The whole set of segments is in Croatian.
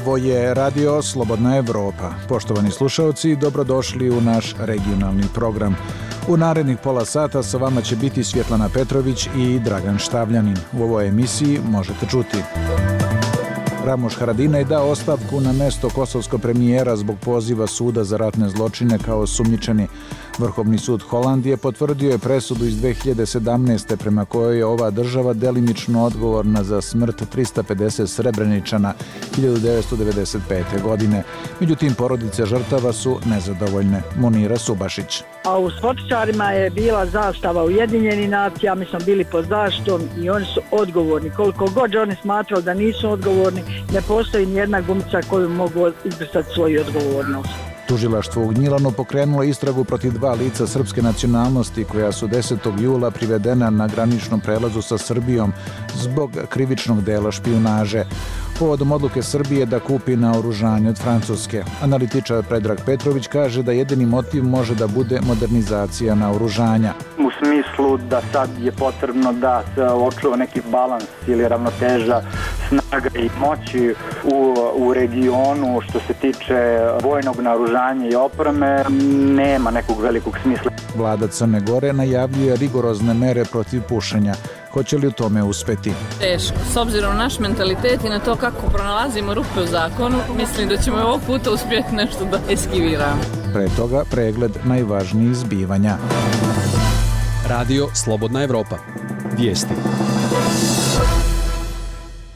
Ovo je Radio Slobodna Evropa. Poštovani slušalci, dobrodošli u naš regionalni program. U narednih pola sata sa vama će biti Svjetlana Petrović i Dragan Štavljanin. U ovoj emisiji možete čuti: Ramuš Haradinaj dao ostavku na mesto kosovskog premijera zbog poziva suda za ratne zločine kao osumnjičeni. Vrhovni sud Holandije potvrdio je presudu iz 2017. prema kojoj je ova država delimično odgovorna za smrt 350 Srebreničana 1995. godine. Međutim, porodice žrtava su nezadovoljne. Munira Subašić. A u Svotičarima je bila zastava Ujedinjenih nacija, mi smo bili pod zaštitom i oni su odgovorni. Koliko god oni smatrali da nisu odgovorni, ne postoji nijedna gumica koju mogu izbrisati svoju odgovornost. Tužilaštvo u Gnjilanu pokrenulo istragu protiv 2 lica srpske nacionalnosti koja su 10. jula privedena na graničnom prelazu sa Srbijom zbog krivičnog dela špijunaže. Povodom odluke Srbije da kupi naoružanje od Francuske. Analitičar Predrag Petrović kaže da jedini motiv može da bude modernizacija naoružanja. U smislu da sad je potrebno da se očuva neki balans ili ravnoteža snaga i moći u regionu što se tiče vojnog naoružanja i opreme, nema nekog velikog smisla. Vlada Crne Gore najavljuje rigorozne mere protiv pušenja. Hoće li u tome uspeti? Teško. S obzirom na naš mentalitet i na to kako pronalazimo rupe u zakonu, mislim da ćemo ovog puta uspjeti nešto da eskiviramo. Pre toga pregled najvažnijih zbivanja. Radio Slobodna Evropa. Vijesti.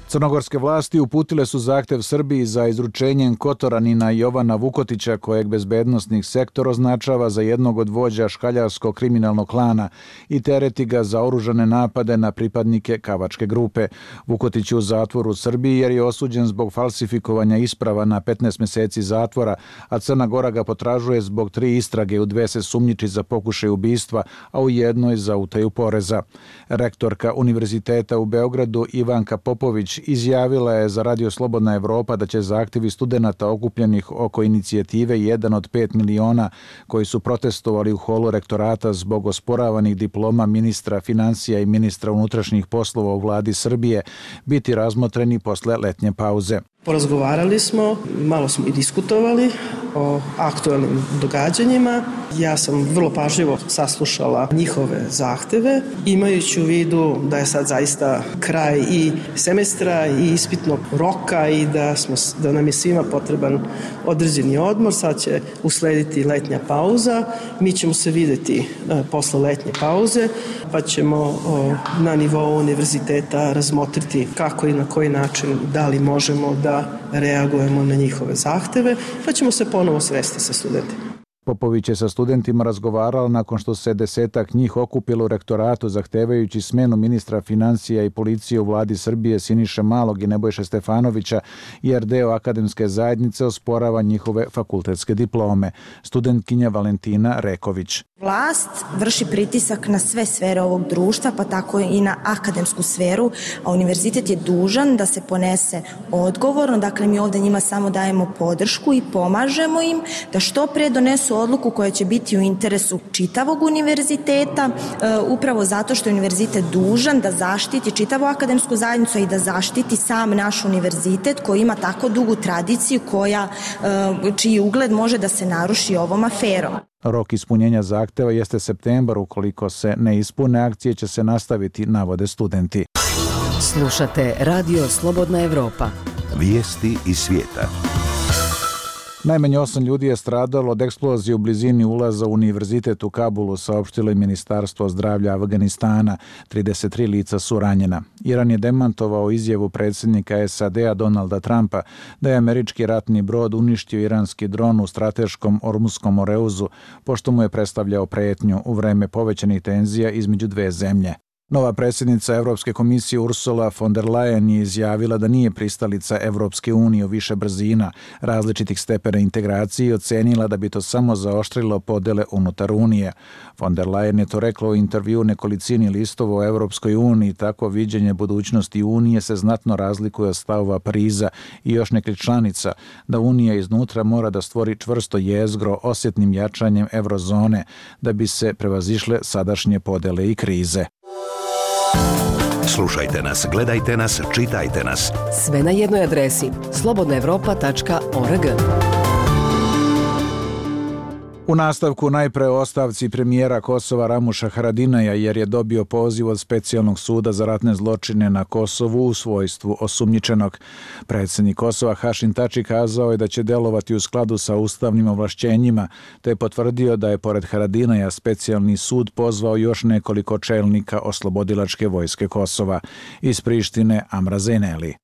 Crnogorske vlasti uputile su zahtev Srbiji za izručenjem Kotoranina Jovana Vukotića, kojeg bezbednosnih sektor označava za jednog od vođa škaljarskog kriminalnog klana i tereti ga za oružane napade na pripadnike Kavačke grupe. Vukotić je u zatvoru u Srbiji jer je osuđen zbog falsifikovanja isprava na 15 mjeseci zatvora, a Crna Gora ga potražuje zbog 3 istrage, u 2 se sumnjiči za pokušaj ubistva, a u jednoj za utaju poreza. Rektorka Univerziteta u Beogradu Ivanka Popović izjavila je za Radio Slobodna Evropa da će zahtjevi studenata okupljenih oko inicijative 1 od 5 miliona koji su protestovali u holu rektorata zbog osporavanih diploma ministra financija i ministra unutrašnjih poslova u vladi Srbije biti razmotreni posle letnje pauze. Porazgovarali smo, malo smo i diskutovali o aktualnim događanjima. Ja sam vrlo pažljivo saslušala njihove zahteve, imajući u vidu da je sad zaista kraj i semestra i ispitnog roka i da nam je svima potreban određeni odmor. Sad će uslediti letnja pauza. Mi ćemo se vidjeti posle letnje pauze, pa ćemo na nivou univerziteta razmotriti kako i na koji način, da li možemo da reagujemo na njihove zahteve, pa ćemo se ponovo sresti sa studentima. Popović je sa studentima razgovarala nakon što se 10-ak njih okupilo u rektoratu zahtevajući smenu ministra financija i policije u vladi Srbije Siniše Malog i Nebojše Stefanovića, jer deo akademske zajednice osporava njihove fakultetske diplome. Studentkinja Valentina Reković. Vlast vrši pritisak na sve sfere ovog društva, pa tako i na akademsku sferu, a univerzitet je dužan da se ponese odgovorno. Dakle, mi ovdje njima samo dajemo podršku i pomažemo im da što pre donesu odluku koja će biti u interesu čitavog univerziteta, upravo zato što je univerzitet dužan da zaštiti čitavu akademsku zajednicu i da zaštiti sam naš univerzitet koji ima tako dugu tradiciju čiji ugled može da se naruši ovom aferom. Rok ispunjenja zahteva jeste septembar. Ukoliko se ne ispune, akcije će se nastaviti, navode studenti. Slušate Radio Slobodna Evropa. Vijesti iz svijeta. Najmanje 8 ljudi je stradalo od eksplozije u blizini ulaza u univerzitet u Kabulu, saopštilo je Ministarstvo zdravlja Afganistana. 33 lica su ranjena. Iran je demantovao izjavu predsjednika SAD-a Donalda Trumpa da je američki ratni brod uništio iranski dron u strateškom Ormuskom Moreuzu, pošto mu je predstavljao prijetnju u vreme povećanih tenzija između 2 zemlje. Nova predsjednica Evropske komisije Ursula von der Leyen je izjavila da nije pristalica Evropske unije u više brzina, različitih stepena integracije i ocenila da bi to samo zaoštrilo podele unutar Unije. Von der Leyen je to rekla u intervju nekolicini listova o Evropskoj uniji. Tako viđenje budućnosti Unije se znatno razlikuje od stavova Pariza i još nekih članica da Unija iznutra mora da stvori čvrsto jezgro osjetnim jačanjem eurozone da bi se prevazišle sadašnje podele i krize. Slušajte nas, gledajte nas, čitajte nas. Sve na jednoj adresi slobodnaevropa.org. U nastavku najpre o ostavci premijera Kosova Ramuša Haradinaja jer je dobio poziv od Specijalnog suda za ratne zločine na Kosovu u svojstvu osumnjičenog. Predsjednik Kosova Hašim Tači kazao je da će delovati u skladu sa ustavnim ovlašćenjima, te je potvrdio da je pored Haradinaja Specijalni sud pozvao još nekoliko čelnika oslobodilačke vojske Kosova. Iz Prištine Amra Zeneli.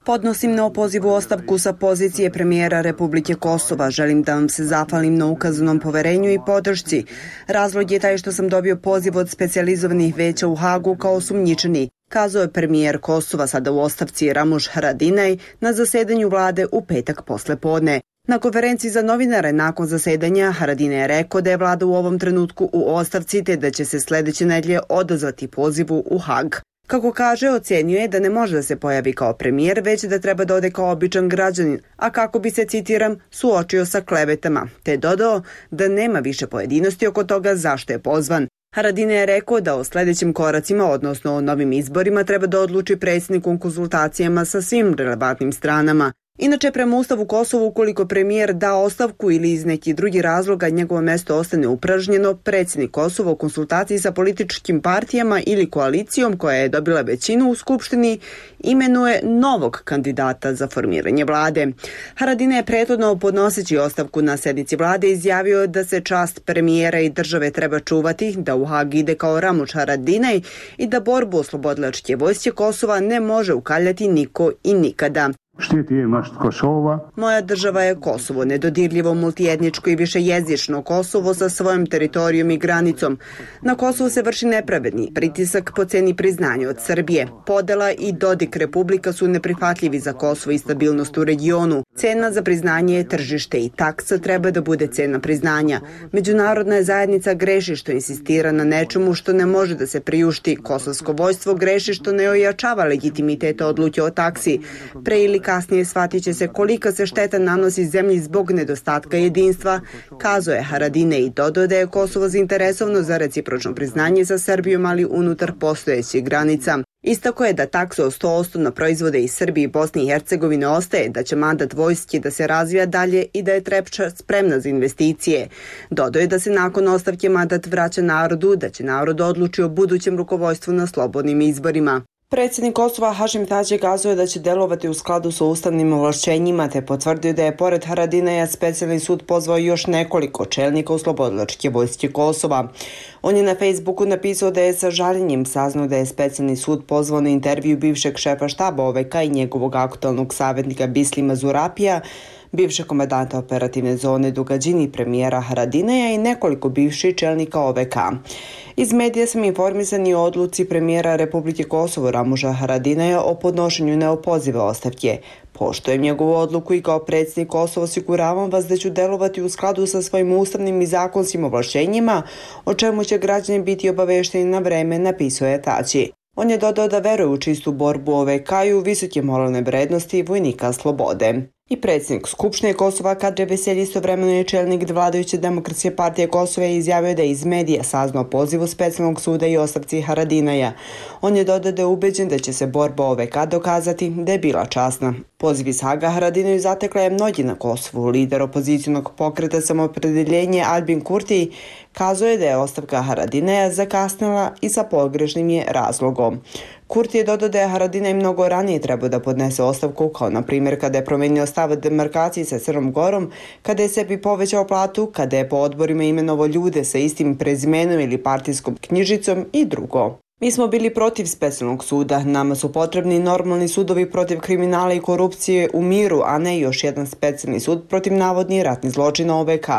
Podnosim na opozivu ostavku sa pozicije premijera Republike Kosova. Želim da vam se zahvalim na ukazanom poverenju i podršci. Razlog je taj što sam dobio poziv od specijalizovanih veća u Hagu kao osumnjičeni, kazao je premijer Kosova, sada u ostavci Ramuš Haradinaj, na zasedanju vlade u petak poslepodne. Na konferenciji za novinare nakon zasedanja Haradinaj je rekao da je vlada u ovom trenutku u ostavci te da će se sljedeće nedelje odazvati pozivu u Hag. Kako kaže, ocenio je da ne može da se pojavi kao premijer, već da treba da ode kao običan građanin, a kako bi se, citiram, suočio sa klevetama, te dodao da nema više pojedinosti oko toga zašto je pozvan. Haradinaj je rekao da o sljedećim koracima, odnosno o novim izborima, treba da odluči predsjednik u konzultacijama sa svim relevantnim stranama. Inače, prema Ustavu Kosova, ukoliko premijer da ostavku ili iz nekih drugih razloga njegovo mesto ostane upražnjeno, predsjednik Kosova u konsultaciji sa političkim partijama ili koalicijom koja je dobila većinu u Skupštini imenuje novog kandidata za formiranje vlade. Haradinaj je prethodno podnoseći ostavku na sednici vlade izjavio da se čast premijera i države treba čuvati, da u Hag ide kao Ramuš Haradinaj i da borbu oslobodilačke vojske Kosova ne može ukaljati niko i nikada. Moja država je Kosovo, nedodirljivo multietničko i višejezično Kosovo sa svojom teritorijom i granicom. Na Kosovu se vrši nepravedni pritisak po ceni priznanja od Srbije. Podela i Dodik Republika su neprihvatljivi za Kosovo i stabilnost u regionu. Cena za priznanje je tržište i taksa treba da bude cena priznanja. Međunarodna zajednica greši što insistira na nečemu što ne može da se priušti. Kosovsko vojstvo greši što ne ojačava legitimitet odluke o taksi. Pre ili kasnije shvatit će se kolika se šteta nanosi zemlji zbog nedostatka jedinstva, kazao je Haradinaj i dodao da je Kosovo zainteresovano za recipročno priznanje sa Srbijom, ali unutar postojećih granica. Istako je da taksa od 100% na proizvode iz Srbije i Bosne i Hercegovine ostaje, da će mandat vojske da se razvija dalje i da je Trepča spremna za investicije. Dodao je da se nakon ostavke mandat vraća narodu, da će narod odluči o budućem rukovodstvu na slobodnim izborima. Predsjednik Kosova Hašim Tači kazuje da će delovati u skladu sa ustavnim ovlašćenjima, te potvrdio da je pored Haradinaja Specijalni sud pozvao još nekoliko čelnika oslobodilačke vojske Kosova. On je na Facebooku napisao da je sa žaljenjem saznao da je Specijalni sud pozvao na intervju bivšeg šefa štaba OVK i njegovog aktualnog savjetnika Bislima Zurapija, bivšeg komandanta operativne zone Dugađini, premijera Haradinaja i nekoliko bivših čelnika OVK. Iz medija sam informisani o odluci premijera Republike Kosovo Ramuša Haradinaja o podnošenju neopozive ostavke. Poštujem njegovu odluku i kao predsjednik Kosova osiguravam vas da ću delovati u skladu sa svojim ustavnim i zakonskim ovlašćenjima, o čemu će građani biti obavešteni na vreme, napisao je Tači. On je dodao da veruje u čistu borbu OVK i u visoke moralne vrednosti vojnika slobode. I predsjednik Skupštine Kosova Kadri Veselji istovremeno je čelnik vladajuće Demokratske partije Kosova i izjavio da je iz medija saznao pozivu Specijalnog suda i ostavci Haradinaja. On je dodao da je ubeđen da će se borba OVK dokazati da je bila časna. Poziv iz Haga Haradinaju zatekla je mnogi na Kosovu. Lider opozicionog pokreta Samoopredeljenje Albin Kurti kazao je da je ostavka Haradinaja zakasnila i sa pogrešnim je razlogom. Kurti je dodao da je Haradinaj mnogo ranije trebao da podnese ostavku, kao na primjer kada je promenio stav demarkaciji sa Crnom Gorom, kada je sebi povećao platu, kada je po odborima imenovao ljude sa istim prezimenom ili partijskom knjižicom i drugo. Mi smo bili protiv Specijalnog suda. Nama su potrebni normalni sudovi protiv kriminala i korupcije u miru, a ne još jedan specijalni sud protiv navodnih ratnih zločina OVK.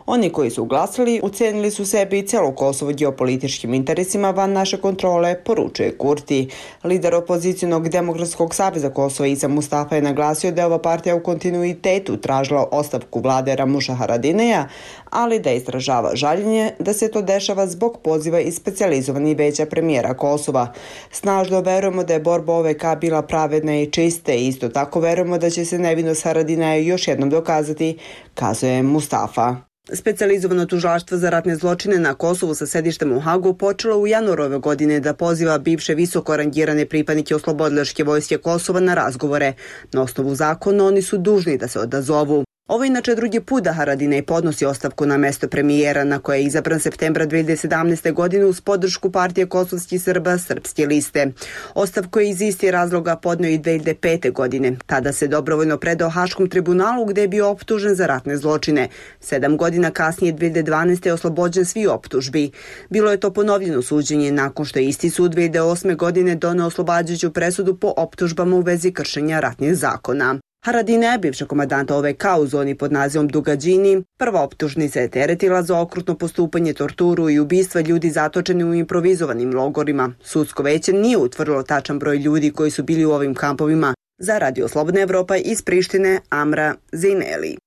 Oni koji su glasali ucenili su sebi i celo Kosovo geopolitičkim interesima van naše kontrole, poručuje Kurti. Lider opozicionog Demokratskog saveza Kosova Isa Mustafa je naglasio da je ova partija u kontinuitetu tražila ostavku vlade Ramuša Haradinaja, ali da izražava žaljenje da se to dešava zbog poziva iz specijalizovanih veća premijera Kosova. Snažno verujemo da je borba OVK bila pravedna i čista i isto tako verujemo da će se nevinost Haradinaja još jednom dokazati, kazuje Mustafa. Specijalizovano tužilaštvo za ratne zločine na Kosovu sa sedištem u Hagu počelo u januaru ove godine da poziva bivše visoko rangirane pripadnike oslobodilačke vojske Kosova na razgovore. Na osnovu zakona oni su dužni da se odazovu. Ovo je inače drugi put da Haradinaj podnosi ostavku na mesto premijera na koje je izabran septembra 2017. godine uz podršku partije kosovskih Srba Srpske liste. Ostavku je iz istih razloga podneo i 2005. godine. Tada se dobrovoljno predao Haškom tribunalu gde je bio optužen za ratne zločine. 7 godina kasnije 2012. je oslobođen svi optužbi. Bilo je to ponovljeno suđenje nakon što je isti sud 2008. godine doneo oslobađajuću presudu po optužbama u vezi kršenja ratnih zakona. Haradinaj, bivša komandanta OVK u zoni pod nazivom Dugađini, prva optužnica je teretila za okrutno postupanje, torturu i ubistva ljudi zatočeni u improvizovanim logorima. Sudsko veće nije utvrdilo tačan broj ljudi koji su bili u ovim kampovima. Za Radio Slobodna Evropa iz Prištine, Amra Zineli.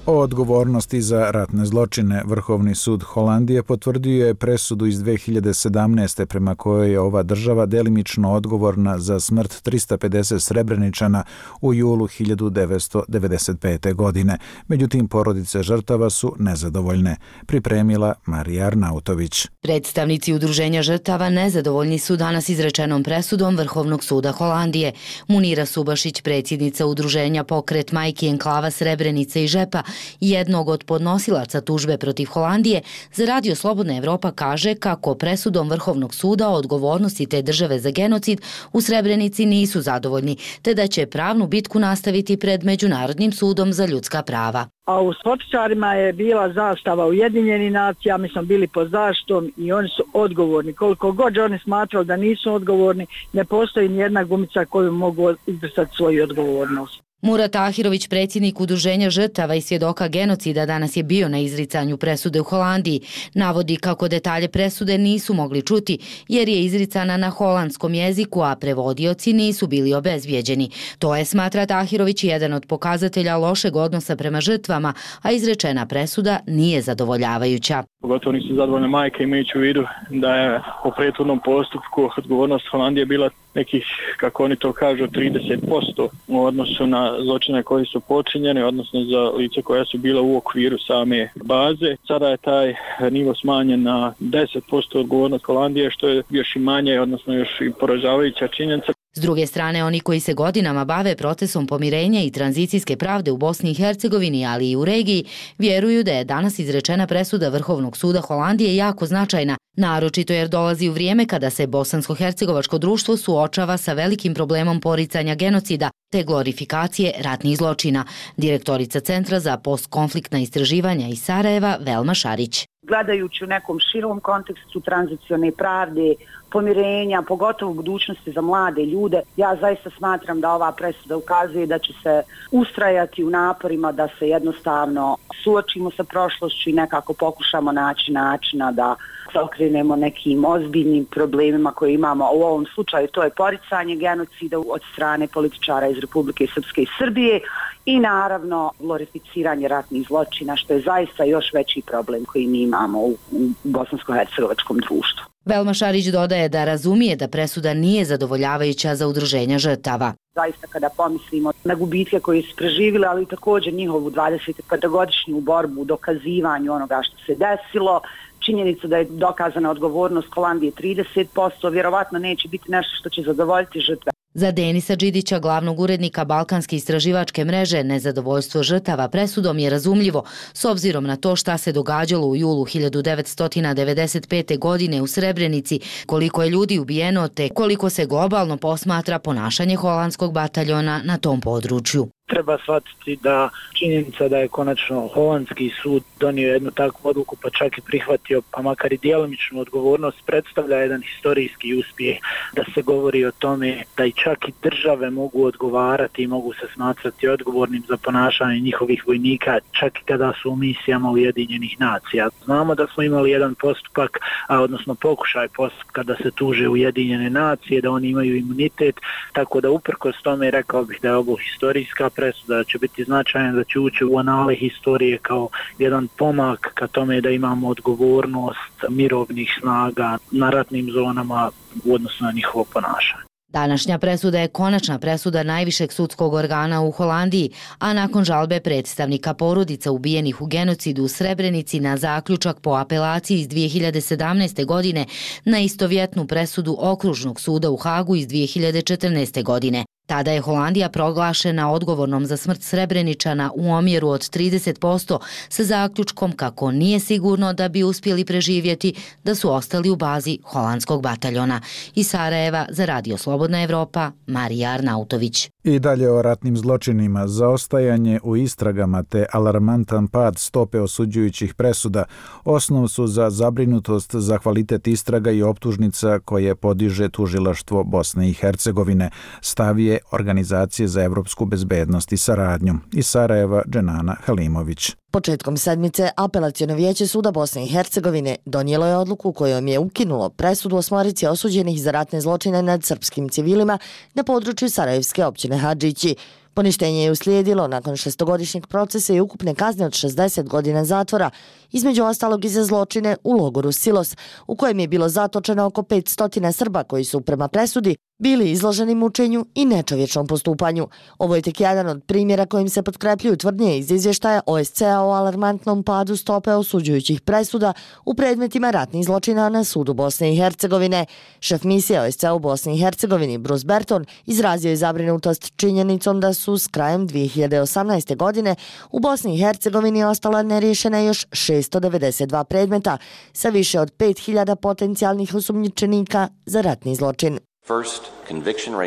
O odgovornosti za ratne zločine Vrhovni sud Holandije potvrdio je presudu iz 2017. prema kojoj je ova država delimično odgovorna za smrt 350 Srebreničana u julu 1995. godine. Međutim, porodice žrtava su nezadovoljne. Pripremila Marija Arnautović. Predstavnici udruženja žrtava nezadovoljni su danas izrečenom presudom Vrhovnog suda Holandije. Munira Subašić, predsjednica udruženja Pokret majki enklava Srebrenice i Žepa, jednog od podnosilaca tužbe protiv Holandije, za Radio Slobodna Evropa kaže kako presudom Vrhovnog suda o odgovornosti te države za genocid u Srebrenici nisu zadovoljni, te da će pravnu bitku nastaviti pred Međunarodnim sudom za ljudska prava. A u Svotičarima je bila zastava Ujedinjenih nacija, mi smo bili pod zaštitom i oni su odgovorni. Koliko god oni smatrali da nisu odgovorni, ne postoji nijedna gumica koju mogu izbrisati svoju odgovornost. Murat Ahirović, predsjednik udruženja žrtava i svjedoka genocida, danas je bio na izricanju presude u Holandiji. Navodi kako detalje presude nisu mogli čuti jer je izricana na holandskom jeziku, a prevodioci nisu bili obezbijeđeni. To je, smatra Ahirović, jedan od pokazatelja lošeg odnosa prema žrtvama, a izrečena presuda nije zadovoljavajuća. Pogotovo nisu zadovoljne majke, imajući u vidu da je po prethodnom postupku odgovornost Holandije bila nekih, kako oni to kažu, 30% u odnosu na zločine koji su počinjeni, odnosno za lice koja su bila u okviru same baze. Sada je taj nivo smanjen na 10% odgovornost Holandije, što je još i manje, odnosno još i poražavajuća činjenica. S druge strane, oni koji se godinama bave procesom pomirenja i tranzicijske pravde u Bosni i Hercegovini, ali i u regiji, vjeruju da je danas izrečena presuda Vrhovnog suda Holandije jako značajna, naročito jer dolazi u vrijeme kada se bosansko-hercegovačko društvo suočava sa velikim problemom poricanja genocida te glorifikacije ratnih zločina. Direktorica Centra za postkonfliktna istraživanja iz Sarajeva, Velma Šarić. Gledajući u nekom širom kontekstu tranzicione pravde, pomirenja, pogotovo budućnosti za mlade ljude, ja zaista smatram da ova presuda ukazuje da će se ustrajati u naporima da se jednostavno suočimo sa prošlošću i nekako pokušamo naći načina da se okrenemo nekim ozbiljnim problemima koje imamo. U ovom slučaju to je poricanje genocida od strane političara iz Republike Srpske i Srbije i naravno glorificiranje ratnih zločina, što je zaista još veći problem koji mi imamo u bosansko-hercegovačkom društvu. Velma Šarić dodaje da razumije da presuda nije zadovoljavajuća za udruženja žrtava. Zaista kada pomislimo na gubitke koje su preživjeli, ali također njihovu 25-godišnju borbu u dokazivanju onoga što se desilo, činjenica da je dokazana odgovornost Holandije 30%, vjerovatno neće biti nešto što će zadovoljiti žrtve. Za Denisa Đidića, glavnog urednika Balkanske istraživačke mreže, nezadovoljstvo žrtava presudom je razumljivo, s obzirom na to šta se događalo u julu 1995. godine u Srebrenici, koliko je ljudi ubijeno te koliko se globalno posmatra ponašanje holandskog bataljona na tom području. Treba shvatiti da činjenica da je konačno holandski sud donio jednu takvu odluku, pa čak i prihvatio, pa makar i djelomičnu odgovornost, predstavlja jedan historijski uspjeh, da se govori o tome da i čak i države mogu odgovarati i mogu se smatrati odgovornim za ponašanje njihovih vojnika, čak i kada su u misijama Ujedinjenih nacija. Znamo da smo imali jedan postupak, odnosno pokušaj postupka da se tuže Ujedinjene nacije, da oni imaju imunitet, tako da uprkos tome rekao bih da je ovo historijska presuda, će biti značajna, da će ući u anale historije kao jedan pomak ka tome da imamo odgovornost mirovnih snaga na ratnim zonama u odnosu na njihovo ponašanje. Današnja presuda je konačna presuda najvišeg sudskog organa u Holandiji, a nakon žalbe predstavnika porodica ubijenih u genocidu u Srebrenici na zaključak po apelaciji iz 2017. godine na istovjetnu presudu Okružnog suda u Hagu iz 2014. godine. Tada je Holandija proglašena odgovornom za smrt Srebreničana u omjeru od 30% sa zaključkom kako nije sigurno da bi uspjeli preživjeti da su ostali u bazi holandskog bataljona. Iz Sarajeva za Radio Slobodna Evropa, Marija Arnautović. I dalje o ratnim zločinima, zaostajanje u istragama te alarmantan pad stope osuđujućih presuda osnov su za zabrinutost za kvalitet istraga i optužnica koje podiže tužilaštvo Bosne i Hercegovine, stav je Organizacije za evropsku bezbednost i saradnju. Iz Sarajeva, Dženana Halimović. Početkom sedmice Apelaciono vijeće suda Bosne i Hercegovine donijelo je odluku kojom je ukinulo presudu osmorici osuđenih za ratne zločine nad srpskim civilima na području Sarajevske općine Hadžići. Poništenje je uslijedilo nakon 6-godišnjeg procesa i ukupne kazne od 60 godina zatvora, između ostalog i za zločine u logoru Silos, u kojem je bilo zatočeno oko 500 Srba koji su prema presudi bili izloženi mučenju i nečovječnom postupanju. Ovo je tek jedan od primjera kojim se potkrepljuju tvrdnje iz izvještaja OSCE-a o alarmantnom padu stope osuđujućih presuda u predmetima ratnih zločina na sudu Bosne i Hercegovine. Šef misije OSCE-a u Bosni i Hercegovini, Bruce Berton, izrazio je zabrinutost činjenicom da su s krajem 2018. godine u Bosni i Hercegovini ostala neriješena još 692 predmeta sa više od 5000 potencijalnih osumnjičenika za ratni zločin.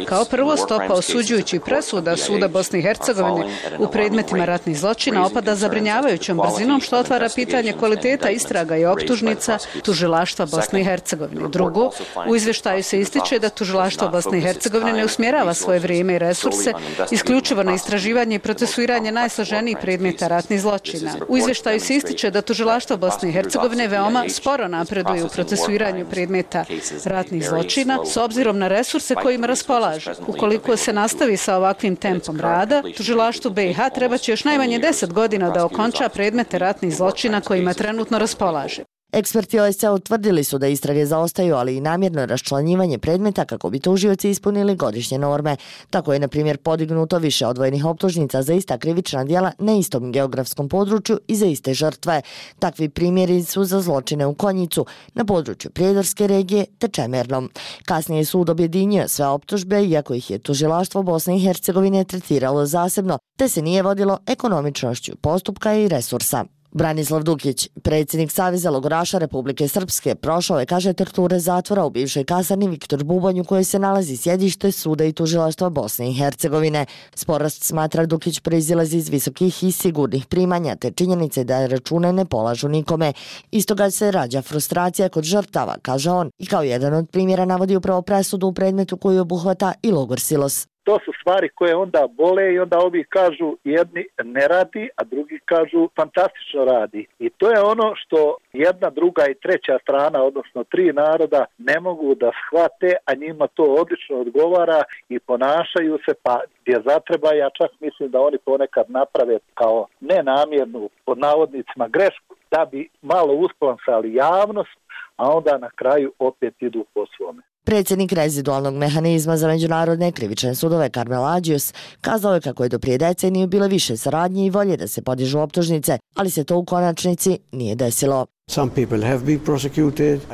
Kao prvo, stopa osuđujućih presuda suda Bosne i Hercegovine u predmetima ratnih zločina opada zabrinjavajućom brzinom, što otvara pitanje kvaliteta istraga i optužnica tužilaštva Bosne i Hercegovine. Drugo, u izvještaju se ističe da tužilaštvo Bosne i Hercegovine ne usmjerava svoje vrijeme i resurse isključivo na istraživanje i procesuiranje najsloženijih predmeta ratnih zločina. U izvještaju se ističe da tužilaštvo Bosne i Hercegovine veoma sporo napreduje u procesuiranju predmeta ratnih zločina s obzirom na resurse kojima raspolaže. Ukoliko se nastavi sa ovakvim tempom rada, tužilaštvu BiH trebaće još najmanje 10 godina da okonča predmete ratnih zločina kojima trenutno raspolaže. Eksperti OSCE utvrdili su da istrage zaostaju, ali i namjerno raščlanjivanje predmeta kako bi tužioci ispunili godišnje norme. Tako je, na primjer, podignuto više odvojenih optužnica za ista krivična djela na istom geografskom području i za iste žrtve. Takvi primjeri su za zločine u Konjicu, na području Prijedorske regije te Čemernom. Kasnije je sud objedinio sve optužbe, iako ih je tužilaštvo Bosne i Hercegovine tretiralo zasebno, te se nije vodilo ekonomičnošću postupka i resursa. Branislav Dukić, predsjednik Saveza logoraša Republike Srpske, prošao je, kaže, torture zatvora u bivšoj kasarni Viktor Bubanj u kojoj se nalazi sjedište suda i tužilaštva Bosne i Hercegovine. Sporast, smatra Dukić, proizilazi iz visokih i sigurnih primanja te činjenice da račune ne polažu nikome. Iz toga se rađa frustracija kod žrtava, kaže on, i kao jedan od primjera navodi upravo presudu u predmetu koju obuhvata i logor Silos. To su stvari koje onda bole i onda ovi kažu jedni ne radi, a drugi kažu fantastično radi. I to je ono što jedna, druga i treća strana, odnosno tri naroda, ne mogu da shvate, a njima to odlično odgovara i ponašaju se, pa gdje zatreba, ja čak mislim da oni ponekad naprave kao nenamjernu, pod navodnicima, grešku, da bi malo usplansali javnost, a onda na kraju opet idu po svome. Predsjednik rezidualnog mehanizma za međunarodne krivične sudove Karmel Ađius kazao je kako je do prije deceniju bile više saradnje i volje da se podižu optužnice, ali se to u konačnici nije desilo.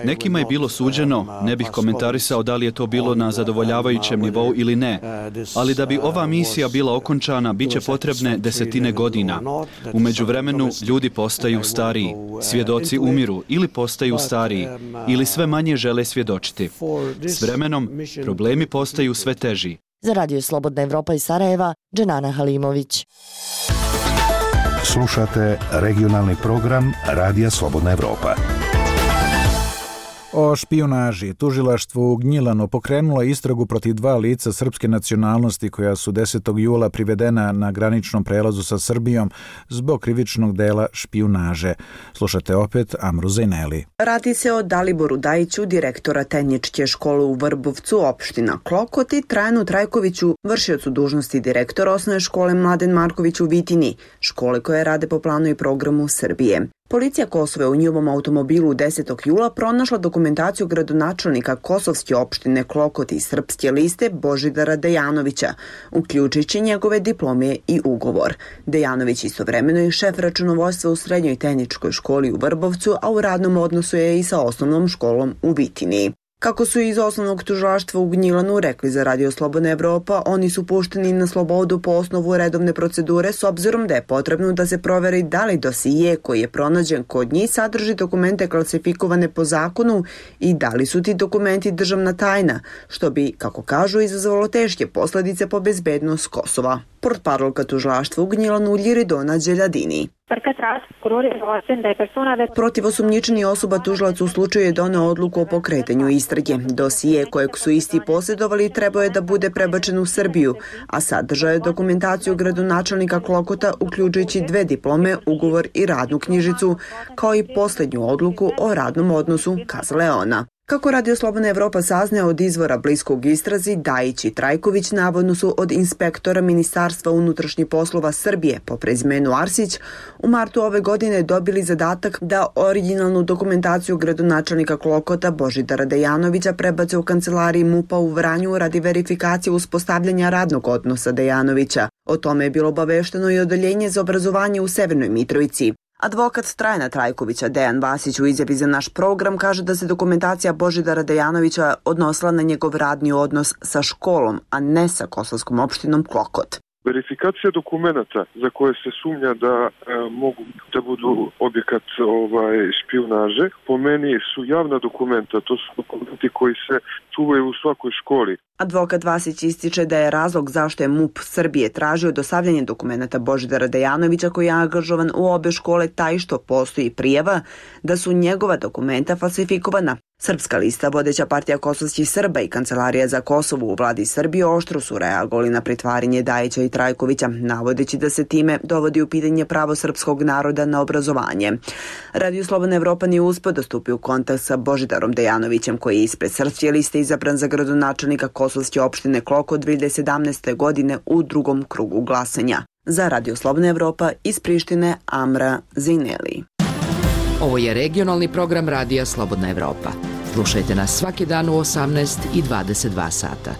Nekima je bilo suđeno, ne bih komentarisao da li je to bilo na zadovoljavajućem nivou ili ne, ali da bi ova misija bila okončana, bit će potrebne desetine godina. U međuvremenu ljudi postaju stariji, svjedoci umiru ili postaju stariji, ili sve manje žele svjedočiti. S vremenom, problemi postaju sve teži. Za Radio Slobodna Evropa iz Sarajeva, Dženana Halimović. Slušate regionalni program Radija Slobodna Evropa. O špijunaži. Tužilaštvo u Gnjilanu pokrenulo istragu protiv 2 lica srpske nacionalnosti koja su 10. jula privedena na graničnom prelazu sa Srbijom zbog krivičnog dela špijunaže. Slušate opet Amru Zajneli. Radi se o Daliboru Dajiću, direktora Tenjičke škole u Vrbovcu, opština Klokot, i Trajanu Trajkoviću, vršiocu dužnosti direktora osnovne škole Mladen Marković u Vitini, škole koje rade po planu i programu Srbije. Policija Kosova u njihovom automobilu 10. jula pronašla dokument dokumentaciju gradonačelnika kosovske opštine Klokot i Srpske liste Božidara Dejanovića, uključujući njegove diplome i ugovor. Dejanović istovremeno je šef računovodstva u Srednjoj tehničkoj školi u Vrbovcu, a u radnom odnosu je i sa osnovnom školom u Vitini. Kako su iz osnovnog tužilaštva u Gnjilanu rekli za Radio Slobodna Evropa, oni su pušteni na slobodu po osnovu redovne procedure s obzirom da je potrebno da se proveri da li dosije koji je pronađen kod njih sadrži dokumente klasifikovane po zakonu i da li su ti dokumenti državna tajna, što bi, kako kažu, izazvalo teške posledice po bezbednost Kosova. Portparolka tužilaštva u Gnjilanu Ljiridona Đeljadini. Protiv osumnjičenih osoba tužilac u slučaju je doneo odluku o pokretanju istrage. Dosije kojeg su isti posjedovali trebao je da bude prebačen u Srbiju, a sadržao je dokumentaciju gradonačelnika Klokota uključujući 2 diplome, ugovor i radnu knjižicu, kao i posljednju odluku o radnom odnosu, kazala ona. Kako Radio Slobodna Evropa saznaje od izvora bliskog istrazi, Dajić i Trajković navodno su od inspektora Ministarstva unutrašnjih poslova Srbije po prezimenu Arsić u martu ove godine dobili zadatak da originalnu dokumentaciju gradonačelnika Klokota Božidara Dejanovića prebace u kancelariji MUP-a u Vranju radi verifikacije uspostavljanja radnog odnosa Dejanovića. O tome je bilo obavešteno i odeljenje za obrazovanje u Severnoj Mitrovici. Advokat Trajana Trajkovića Dejan Vasić u izjavi za naš program kaže da se dokumentacija Božidara Dejanovića odnosila na njegov radni odnos sa školom, a ne sa kosovskom opštinom Klokot. Verifikacija dokumenata za koje se sumnja da mogu da budu objekat špijunaže, po meni su javna dokumenta, to su dokumenti koji se čuvaju u svakoj školi. Advokat Vasić ističe da je razlog zašto je MUP Srbije tražio dostavljanje dokumenta Božidara Dejanovića koji je angažovan u obe škole taj što postoji prijava da su njegova dokumenta falsifikovana. Srpska lista, vodeća partija kosovskih Srba i Kancelarija za Kosovo u vladi Srbije oštro su reagovali na pritvaranje Dajića i Trajkovića, navodeći da se time dovodi u pitanje pravo srpskog naroda na obrazovanje. Radio Slobodna Evropa nije uspeo da stupi u kontakt sa Božidarom Dejanovićem, koji je ispred Srpske liste izabran za gradonačelnika kosovske opštine Klokot 2017. godine u drugom krugu glasanja. Za Radio Slobodna Evropa iz Prištine Amra Zineli. Ovo je regionalni program Radija Slobodna Evropa. Slušajte nas svaki dan u 18 i 22 sata.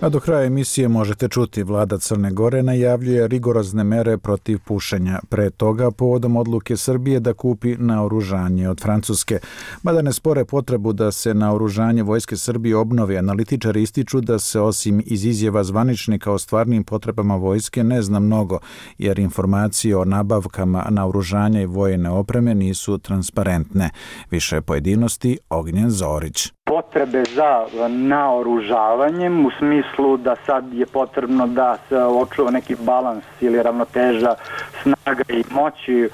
A do kraja emisije možete čuti, vlada Crne Gore najavljuje rigorozne mere protiv pušenja. Pre toga, povodom odluke Srbije da kupi naoružanje od Francuske. Mada ne spore potrebu da se naoružanje Vojske Srbije obnovi, analitičari ističu da se osim iz izjava zvaničnika o stvarnim potrebama vojske ne zna mnogo, jer informacije o nabavkama naoružanja i vojne opreme nisu transparentne. Više pojedinosti Ognjen Zorić. Potrebe za naoružavanjem u smislu da sad je potrebno da se očuva neki balans ili ravnoteža snaga i moći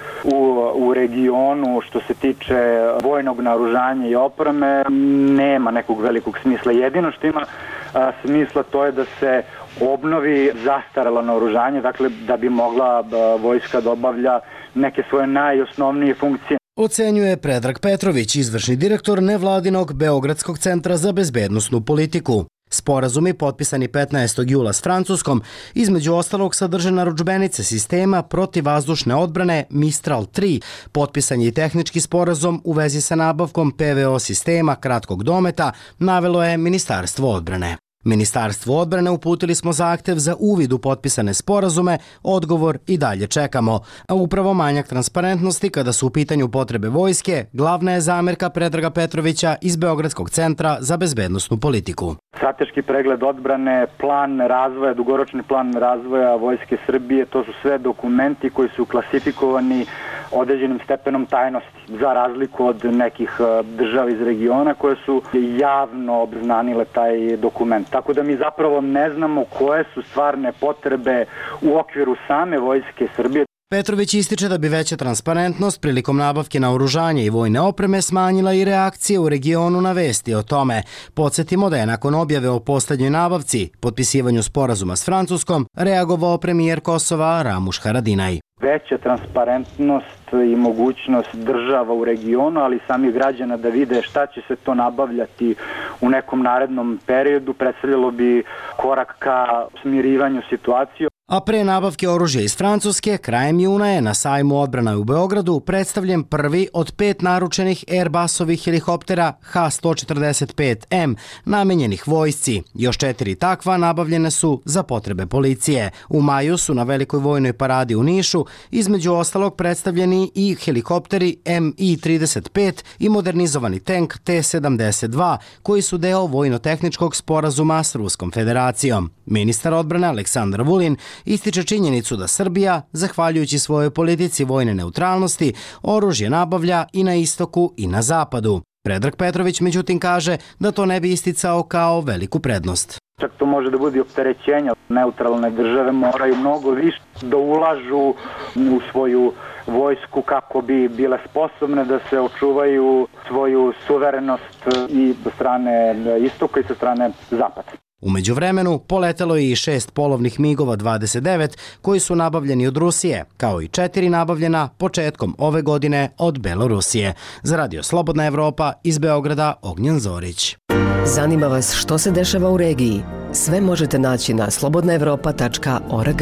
u regionu što se tiče vojnog naoružanja i opreme nema nekog velikog smisla. Jedino što ima smisla to je da se obnovi zastarelo naoružanje, dakle da bi mogla vojska da obavlja neke svoje najosnovnije funkcije. Ocenjuje Predrag Petrović, izvršni direktor nevladinog Beogradskog centra za bezbednosnu politiku. Sporazumi potpisani 15. jula s Francuskom između ostalog sadrže narudžbenice sistema protivvazdušne odbrane Mistral 3, potpisan je i tehnički sporazum u vezi sa nabavkom PVO sistema kratkog dometa, navelo je Ministarstvo odbrane. Ministarstvu odbrane uputili smo zahtev za uvid u potpisane sporazume, odgovor i dalje čekamo. A upravo manjak transparentnosti kada su u pitanju potrebe vojske, glavna je zamerka Predraga Petrovića iz Beogradskog centra za bezbednosnu politiku. Strateški pregled odbrane, plan razvoja, dugoročni plan razvoja Vojske Srbije, to su sve dokumenti koji su klasifikovani određenim stepenom tajnosti, za razliku od nekih država iz regiona koje su javno obznanile taj dokument. Tako da mi zapravo ne znamo koje su stvarne potrebe u okviru same Vojske Srbije. Petrović ističe da bi veća transparentnost prilikom nabavke naoružanja i vojne opreme smanjila i reakcije u regionu na vesti o tome. Podsjetimo da je nakon objave o poslednjoj nabavci, potpisivanju sporazuma s Francuskom, reagovao premijer Kosova Ramuš Haradinaj. Veća transparentnost i mogućnost država u regionu, ali samih građana da vide šta će se to nabavljati u nekom narednom periodu, predstavljalo bi korak ka smirivanju situacije. A pre nabavke oružja iz Francuske, krajem juna je na sajmu odbrana u Beogradu predstavljen prvi od 5 naručenih Airbusovih helikoptera H-145M namenjenih vojsci. Još 4 takva nabavljene su za potrebe policije. U maju su na velikoj vojnoj paradi u Nišu između ostalog predstavljeni i helikopteri Mi-35 i modernizovani tank T-72 koji su deo vojno-tehničkog sporazuma s Ruskom federacijom. Ministar odbrane Aleksandar Vulin ističe činjenicu da Srbija, zahvaljujući svojoj politici vojne neutralnosti, oružje nabavlja i na istoku i na zapadu. Predrag Petrović međutim kaže da to ne bi isticao kao veliku prednost. Čak to može da bude opterećenje. Neutralne države moraju mnogo više da ulažu u svoju vojsku kako bi bile sposobne da se očuvaju svoju suverenost i sa strane istoka i sa strane zapada. U međuvremenu poletelo je i 6 polovnih MiG-ova 29 koji su nabavljeni od Rusije, kao i 4 nabavljena početkom ove godine od Belorusije. Za Radio Slobodna Evropa iz Beograda Ognjen Zorić. Zanima vas što se dešava u regiji? Sve možete naći na slobodnaevropa.org.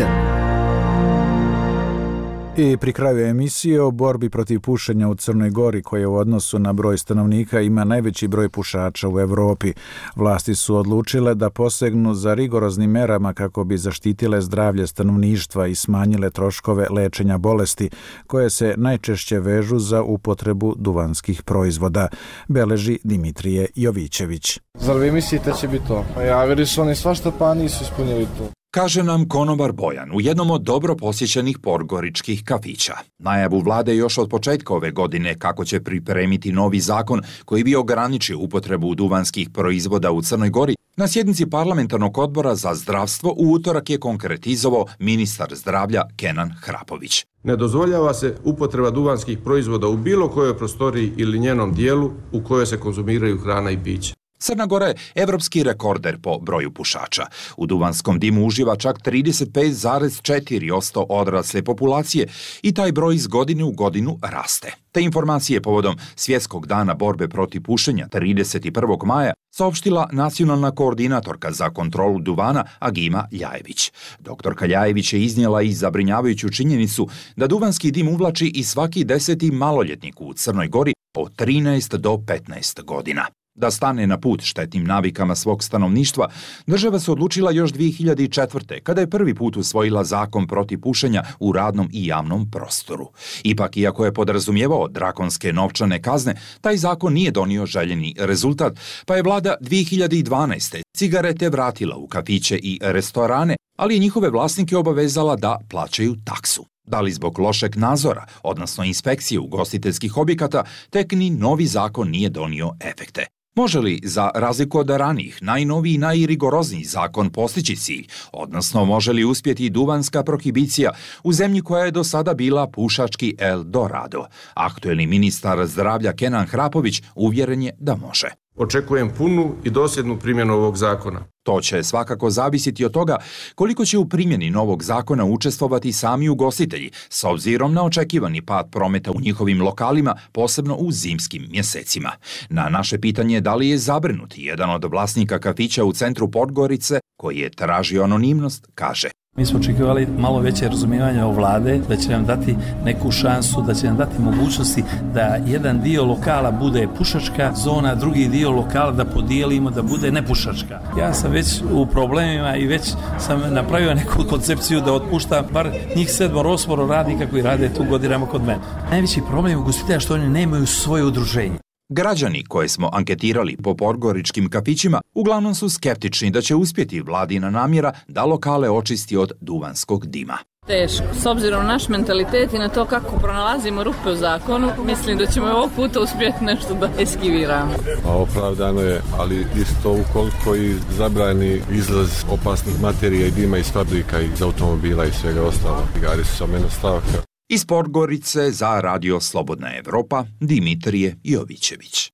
I pri kraju emisije o borbi protiv pušenja u Crnoj Gori, koja u odnosu na broj stanovnika ima najveći broj pušača u Evropi. Vlasti su odlučile da posegnu za rigoroznim merama kako bi zaštitile zdravlje stanovništva i smanjile troškove lečenja bolesti, koje se najčešće vežu za upotrebu duvanskih proizvoda, beleži Dimitrije Jovićević. Zar vi mislite da će biti to? Javili su oni svašta pa nisu ispunili to. Kaže nam konobar Bojan u jednom od dobro posjećenih podgoričkih kafića. Najavu vlade još od početka ove godine kako će pripremiti novi zakon koji bi ograničio upotrebu duvanskih proizvoda u Crnoj Gori, na sjednici parlamentarnog odbora za zdravstvo u utorak je konkretizovao ministar zdravlja Kenan Hrapović. Ne dozvoljava se upotreba duvanskih proizvoda u bilo kojoj prostoriji ili njenom dijelu u kojoj se konzumiraju hrana i piće. Crna Gora je evropski rekorder po broju pušača. U duvanskom dimu uživa čak 35,4% odrasle populacije i taj broj iz godine u godinu raste. Te informacije povodom Svjetskog dana borbe protiv pušenja 31. maja saopštila nacionalna koordinatorka za kontrolu duvana Agima Ljajević. Doktorka Ljajević je iznijela i zabrinjavajuću činjenicu da duvanski dim uvlači i svaki 10. maloljetnik u Crnoj Gori od 13 do 15 godina. Da stane na put štetnim navikama svog stanovništva, država se odlučila još 2004. kada je prvi put usvojila zakon protiv pušenja u radnom i javnom prostoru. Ipak, iako je podrazumijevao drakonske novčane kazne, taj zakon nije donio željeni rezultat, pa je vlada 2012. cigarete vratila u kafiće i restorane, ali je njihove vlasnike obavezala da plaćaju taksu. Da li zbog lošeg nadzora, odnosno inspekcije ugostiteljskih objekata, tek ni novi zakon nije donio efekte. Može li, za razliku od ranijih, najnoviji i najrigorozniji zakon postići cilj, odnosno može li uspjeti duvanska prohibicija u zemlji koja je do sada bila pušački Eldorado? Aktuelni ministar zdravlja Kenan Hrapović uvjeren je da može. Očekujem punu i dosljednu primjenu ovog zakona. To će svakako zavisiti od toga koliko će u primjeni novog zakona učestvovati sami ugostitelji, s obzirom na očekivani pad prometa u njihovim lokalima, posebno u zimskim mjesecima. Na naše pitanje da li je zabrinut jedan od vlasnika kafića u centru Podgorice, koji je tražio anonimnost, kaže: Mi smo očekivali malo veće razumijevanje od vlade, da će nam dati neku šansu, da će nam dati mogućnosti da jedan dio lokala bude pušačka zona, drugi dio lokala da podijelimo da bude nepušačka. Ja sam već u problemima i već sam napravio neku koncepciju da otpuštam bar njih 7-8 radnika koji rade tu godinama kod mene. Najveći problem ugostitelja što oni nemaju svoje udruženje. Građani koje smo anketirali po podgoričkim kafićima uglavnom su skeptični da će uspjeti vladina namjera da lokale očisti od duvanskog dima. Teško. S obzirom na naš mentalitet i na to kako pronalazimo rupe u zakonu, mislim da ćemo ovog puta uspjeti nešto da eskiviramo. Opravdano je, ali isto ukoliko i zabrani izlaz opasnih materija i dima iz fabrika, iz automobila i svega ostalo. Cigare su samo jedna stavka. Iz Podgorice za Radio Slobodna Evropa, Dimitrije Jovićević.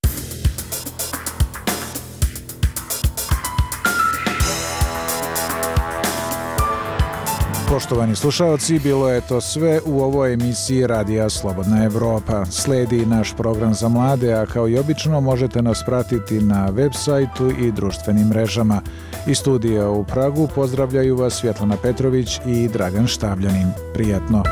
Poštovani slušalci, bilo je to sve u ovoj emisiji Radija Slobodna Evropa. Sledi naš program za mlade, a kao i obično možete nas pratiti na web sajtu i društvenim mrežama. Iz studija u Pragu pozdravljaju vas Svjetlana Petrović i Dragan Štavljanin. Prijetno!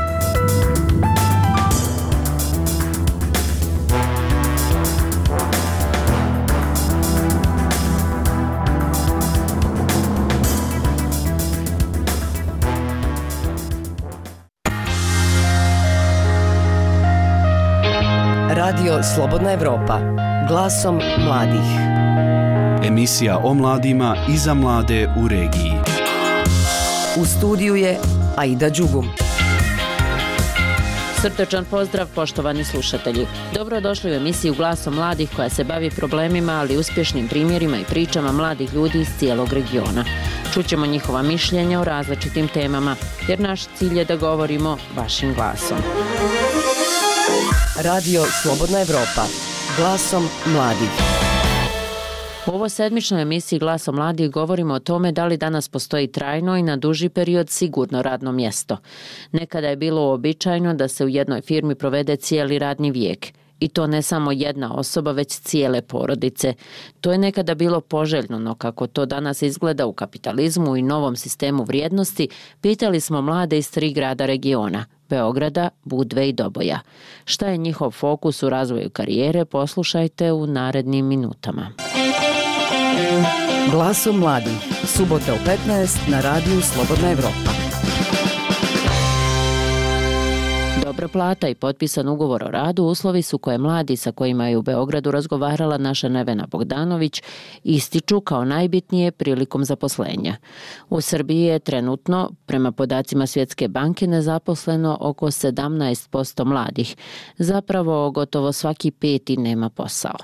Radio Slobodna Evropa, glasom mladih. Emisija o mladima i za mlade u regiji. U studiju je Aida Đugum. Srdačan pozdrav, poštovani slušatelji. Dobrodošli u emisiju Glasom mladih koja se bavi problemima, ali uspješnim primjerima i pričama mladih ljudi iz cijelog regiona. Čućemo njihova mišljenja o različitim temama, jer naš cilj je da govorimo vašim glasom. Radio Slobodna Evropa, glasom mladih. U ovoj sedmičnoj emisiji Glasom mladih govorimo o tome da li danas postoji trajno i na duži period sigurno radno mjesto. Nekada je bilo uobičajeno da se u jednoj firmi provede cijeli radni vijek. I to ne samo jedna osoba, već cijele porodice. To je nekada bilo poželjno, no kako to danas izgleda u kapitalizmu i novom sistemu vrijednosti, pitali smo mlade iz 3 grada regiona, Beograda, Budve i Doboja. Šta je njihov fokus u razvoju karijere, poslušajte u narednim minutama. Glasom mladih, subota u 15 na Radiju Slobodna Evropa. Dobra plata i potpisan ugovor o radu uslovi su koje mladi sa kojima je u Beogradu razgovarala naša Nevena Bogdanović ističu kao najbitnije prilikom zaposlenja. U Srbiji je trenutno, prema podacima Svjetske banke, nezaposleno oko 17% mladih. Zapravo, gotovo svaki 5. nema posao.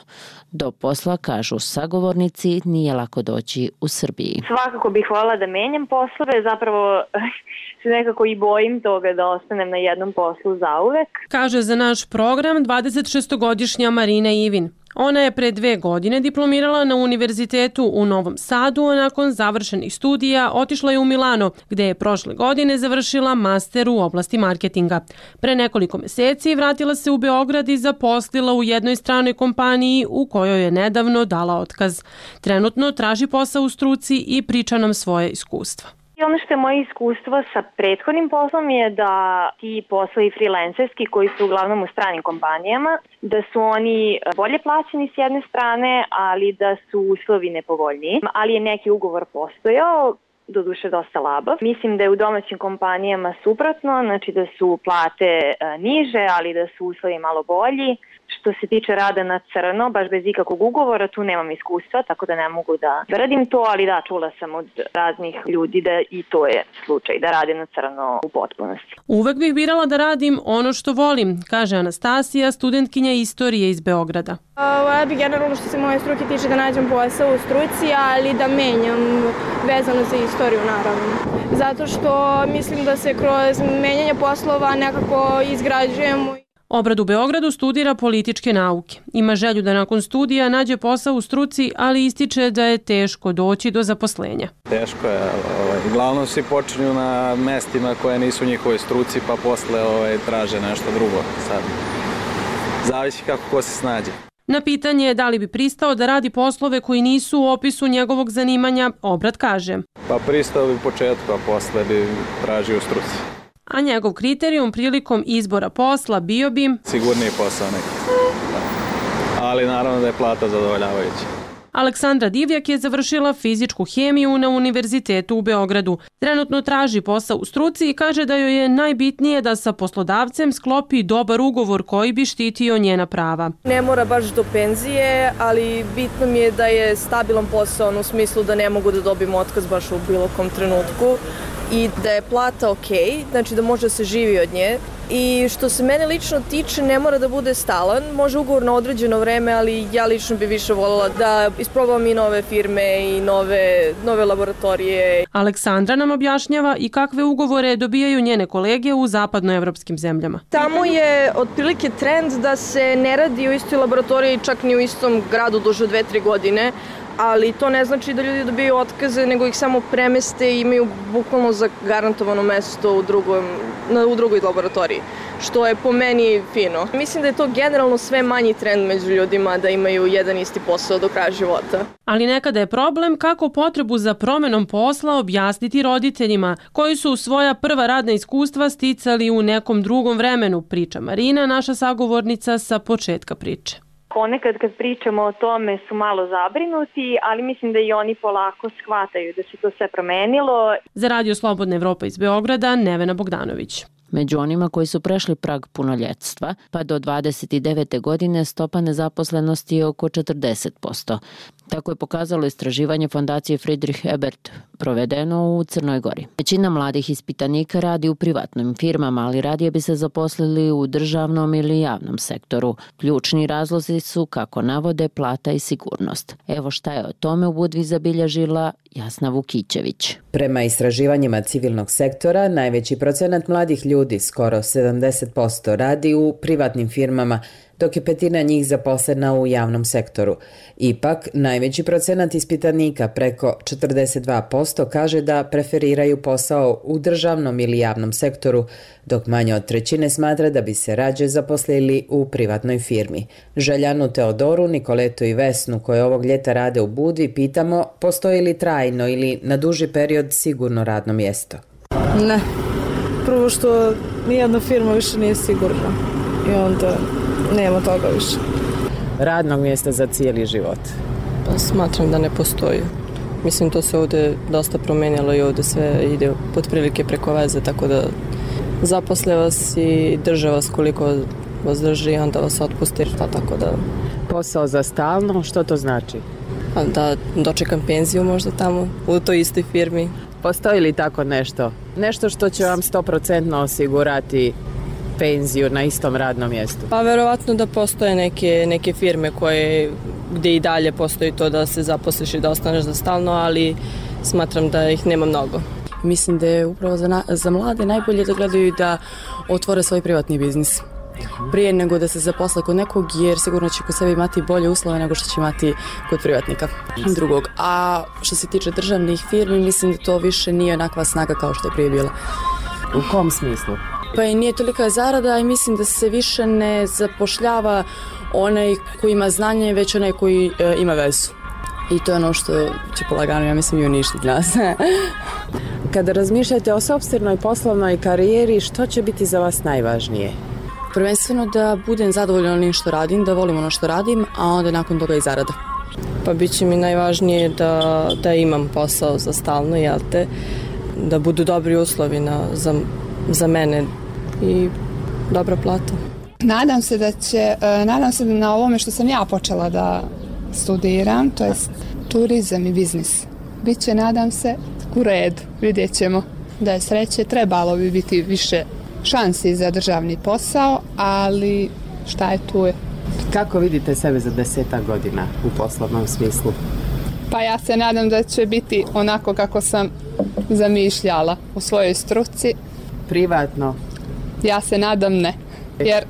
Do posla, kažu sagovornici, nije lako doći u Srbiji. Svakako bih voljela da menjam poslove, zapravo se nekako i bojim toga da ostanem na jednom poslu zauvek. Kaže za naš program 26-godišnja Marina Ivin. Ona je pre 2 godine diplomirala na univerzitetu u Novom Sadu, a nakon završenih studija otišla je u Milano, gde je prošle godine završila master u oblasti marketinga. Pre nekoliko mjeseci vratila se u Beograd i zaposlila u jednoj stranoj kompaniji u kojoj je nedavno dala otkaz. Trenutno traži posao u struci i priča nam svoje iskustva. I ono što je moje iskustvo sa prethodnim poslom je da ti poslovi freelancerski koji su uglavnom u stranim kompanijama, da su oni bolje plaćeni s jedne strane, ali da su uslovi nepovoljniji. Ali je neki ugovor postojao, doduše dosta labav. Mislim da je u domaćim kompanijama suprotno, znači da su plate niže, ali da su uslovi malo bolji. Što se tiče rada na crno, baš bez ikakvog ugovora, tu nemam iskustva, tako da ne mogu da radim to, ali da, čula sam od raznih ljudi da i to je slučaj, da radim na crno u potpunosti. Uvek bih birala da radim ono što volim, kaže Anastasija, studentkinja istorije iz Beograda. Ja bih generalno što se moje struke tiče da nađem posao u struci, ali da menjam vezano za istoriju naravno. Zato što mislim da se kroz menjanje poslova nekako izgrađujemo. Obrad u Beogradu studira političke nauke. Ima želju da nakon studija nađe posao u struci, ali ističe da je teško doći do zaposlenja. Teško je. Uglavnom svi počinju na mestima koje nisu u njihovoj struci, pa posle traže nešto drugo. Sad, zavisi kako ko se snađe. Na pitanje da li bi pristao da radi poslove koji nisu u opisu njegovog zanimanja, Obrad kaže. Pa pristao bi u početku, a posle bi tražio u struci. A njegov kriterijum prilikom izbora posla bio bi sigurniji posao neki. Ali naravno da je plata zadovoljavajuća. Aleksandra Divjak je završila fizičku hemiju na Univerzitetu u Beogradu. Trenutno traži posao u struci i kaže da joj je najbitnije da sa poslodavcem sklopi dobar ugovor koji bi štitio njena prava. Ne mora baš do penzije, ali bitno mi je da je stabilan posao u smislu da ne mogu da dobijem otkaz baš u bilo kom trenutku. I da je plata okej, znači da može da se živi od nje. I što se mene lično tiče, ne mora da bude stalan, može ugovor na određeno vreme, ali ja lično bi više voljela da isprobam i nove firme i nove laboratorije. Aleksandra nam objašnjava i kakve ugovore dobijaju njene kolege u zapadnoevropskim zemljama. Tamo je otprilike trend da se ne radi u istoj laboratoriji, čak ni u istom gradu duže 2-3 godine, ali to ne znači da ljudi dobiju otkaze, nego ih samo premeste i imaju bukvalno zagarantovano mesto u drugoj laboratoriji, što je po meni fino. Mislim da je to generalno sve manji trend među ljudima da imaju jedan isti posao do kraja života. Ali nekada je problem kako potrebu za promenom posla objasniti roditeljima, koji su svoja prva radna iskustva sticali u nekom drugom vremenu, priča Marina, naša sagovornica sa početka priče. Ponekad kad pričamo o tome su malo zabrinuti, ali mislim da i oni polako shvataju da se to sve promenilo. Za Radio Slobodna Evropa iz Beograda, Nevena Bogdanović. Među onima koji su prešli prag punoljetstva, pa do 29. godine stopa nezaposlenosti je oko 40%. Tako je pokazalo istraživanje fondacije Friedrich Ebert, provedeno u Crnoj Gori. Većina mladih ispitanika radi u privatnim firmama, ali radije bi se zaposlili u državnom ili javnom sektoru. Ključni razlozi su, kako navode, plata i sigurnost. Evo šta je o tome u Budvi zabilježila Jasna Vukićević. Prema istraživanjima civilnog sektora, najveći procenat mladih ljudi, skoro 70%, radi u privatnim firmama, dok je petina njih zaposlena u javnom sektoru. Ipak, najveći procenat ispitanika, preko 42%, kaže da preferiraju posao u državnom ili javnom sektoru, dok manje od trećine smatra da bi se rađe zaposlili u privatnoj firmi. Željanu, Teodoru, Nikoletu i Vesnu, koje ovog ljeta rade u Budvi, pitamo postoji li trajno ili na duži period sigurno radno mjesto. Ne. Prvo što nijedna firma više nije sigurna i onda nema toga više. Radnog mjesta za cijeli život? Pa smatram da ne postoji. Mislim, to se ovdje dosta promenjalo i ovdje sve ide pod prilike preko veze, tako da zaposle vas i drže vas koliko vas drži i onda vas otpusti, tako da... Posao za stalno, što to znači? Da dočekam penziju možda tamo, u toj istoj firmi. Postoji li tako nešto? Nešto što će vam 100% osigurati penziju na istom radnom mjestu? Pa verovatno da postoje neke firme gdje i dalje postoji to da se zaposliš i da ostaneš za stalno, ali smatram da ih nema mnogo. Mislim da je upravo za mlade najbolje da gledaju da otvore svoj privatni biznis prije nego da se zaposle kod nekog, jer sigurno će kod sebe imati bolje uslove nego što će imati kod privatnika drugog. A što se tiče državnih firmi, mislim da to više nije onakva snaga kao što je prije bila. U kom smislu? Pa i nije tolika zarada i mislim da se više ne zapošljava onaj koji ima znanje, već onaj koji ima vezu. I to je ono što će polagano, ja mislim, i uništiti nas. Kada razmišljate o sopstvenoj poslovnoj karijeri, što će biti za vas najvažnije? Prvenstveno da budem zadovoljna onim što radim, da volim ono što radim, a onda nakon toga i zarada. Pa bit će mi najvažnije da imam posao za stalno, jel te? Da budu dobri uslovi za mene i dobra plata. Nadam se da na ovome što sam ja počela da studiram, to je turizam i biznis. Biće, nadam se, u redu, vidjet ćemo. Da je sreće, trebalo bi biti više šansi za državni posao, ali šta je tu je. Kako vidite sebe za 10 godina u poslovnom smislu? Pa ja se nadam da će biti onako kako sam zamišljala u svojoj struci. Privatno? Ja se nadam ne, jer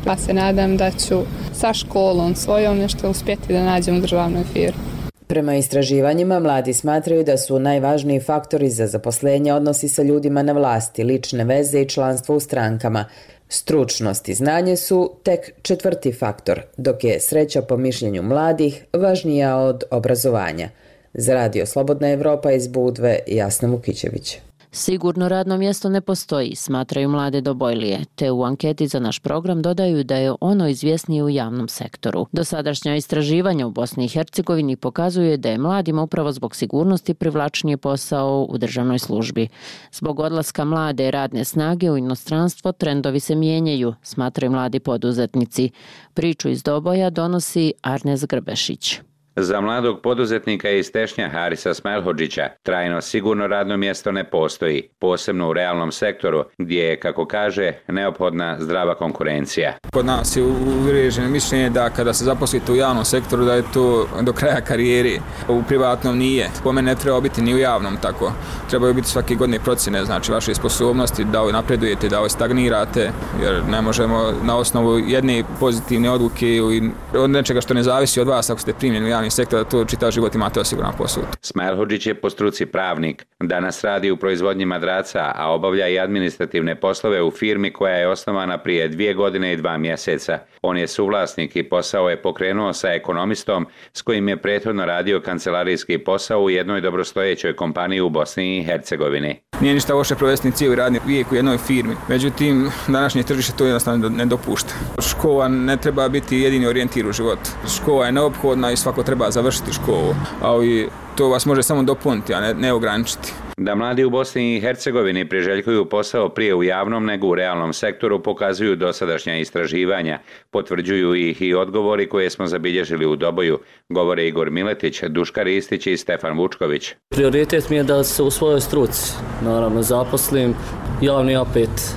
ja se nadam da ću sa školom svojom nešto uspjeti da nađem u državnoj firmi. Prema istraživanjima, mladi smatraju da su najvažniji faktori za zaposlenje odnosi sa ljudima na vlasti, lične veze i članstvo u strankama. Stručnost i znanje su tek 4. faktor, dok je sreća po mišljenju mladih važnija od obrazovanja. Za Radio Slobodna Evropa iz Budve, Jasna Vukićević. Sigurno radno mjesto ne postoji, smatraju mlade Dobojlije, te u anketi za naš program dodaju da je ono izvjesnije u javnom sektoru. Dosadašnja istraživanja u Bosni i Hercegovini pokazuje da je mladima upravo zbog sigurnosti privlačnije posao u državnoj službi. Zbog odlaska mlade radne snage u inostranstvo trendovi se mijenjaju, smatraju mladi poduzetnici. Priču iz Doboja donosi Arnes Grbešić. Za mladog poduzetnika iz Tešnja Harisa Smelhodžića trajno sigurno radno mjesto ne postoji, posebno u realnom sektoru gdje je, kako kaže, neophodna zdrava konkurencija. Kod nas je uvriježeno mišljenje da kada se zaposlite u javnom sektoru da je to do kraja karijeri, u privatnom nije. Po mene ne treba biti ni u javnom tako. Trebaju biti svake godine procjene, znači vaše sposobnosti da napredujete, da stagnirate, jer ne možemo na osnovu jedne pozitivne odluke ili od nečega što ne zavisi od vas ako ste primljeni u javni javni sektor, da to čitav život imate osiguran posao. Smajlhodžić je po struci pravnik. Danas radi u proizvodnji madraca, a obavlja i administrativne poslove u firmi koja je osnovana prije 2 godine i 2 mjeseca. On je suvlasnik i posao je pokrenuo sa ekonomistom s kojim je prethodno radio kancelarijski posao u jednoj dobrostojećoj kompaniji u Bosni i Hercegovini. Nije ništa loše provesti cijeli radni vijek u jednoj firmi, međutim današnje tržište to jednostavno ne dopušta. Škola ne treba biti jedini orijentir u životu. Škola je neophodna i svako treba završiti školu, ali to vas može samo dopuniti, a ne ograničiti. Da mladi u Bosni i Hercegovini priželjkuju posao prije u javnom nego u realnom sektoru pokazuju dosadašnja istraživanja. Potvrđuju ih i odgovori koje smo zabilježili u Doboju, govore Igor Miletić, Duška Ristić i Stefan Vučković. Prioritet mi je da se u svojoj struci, naravno, zaposlim, javni opet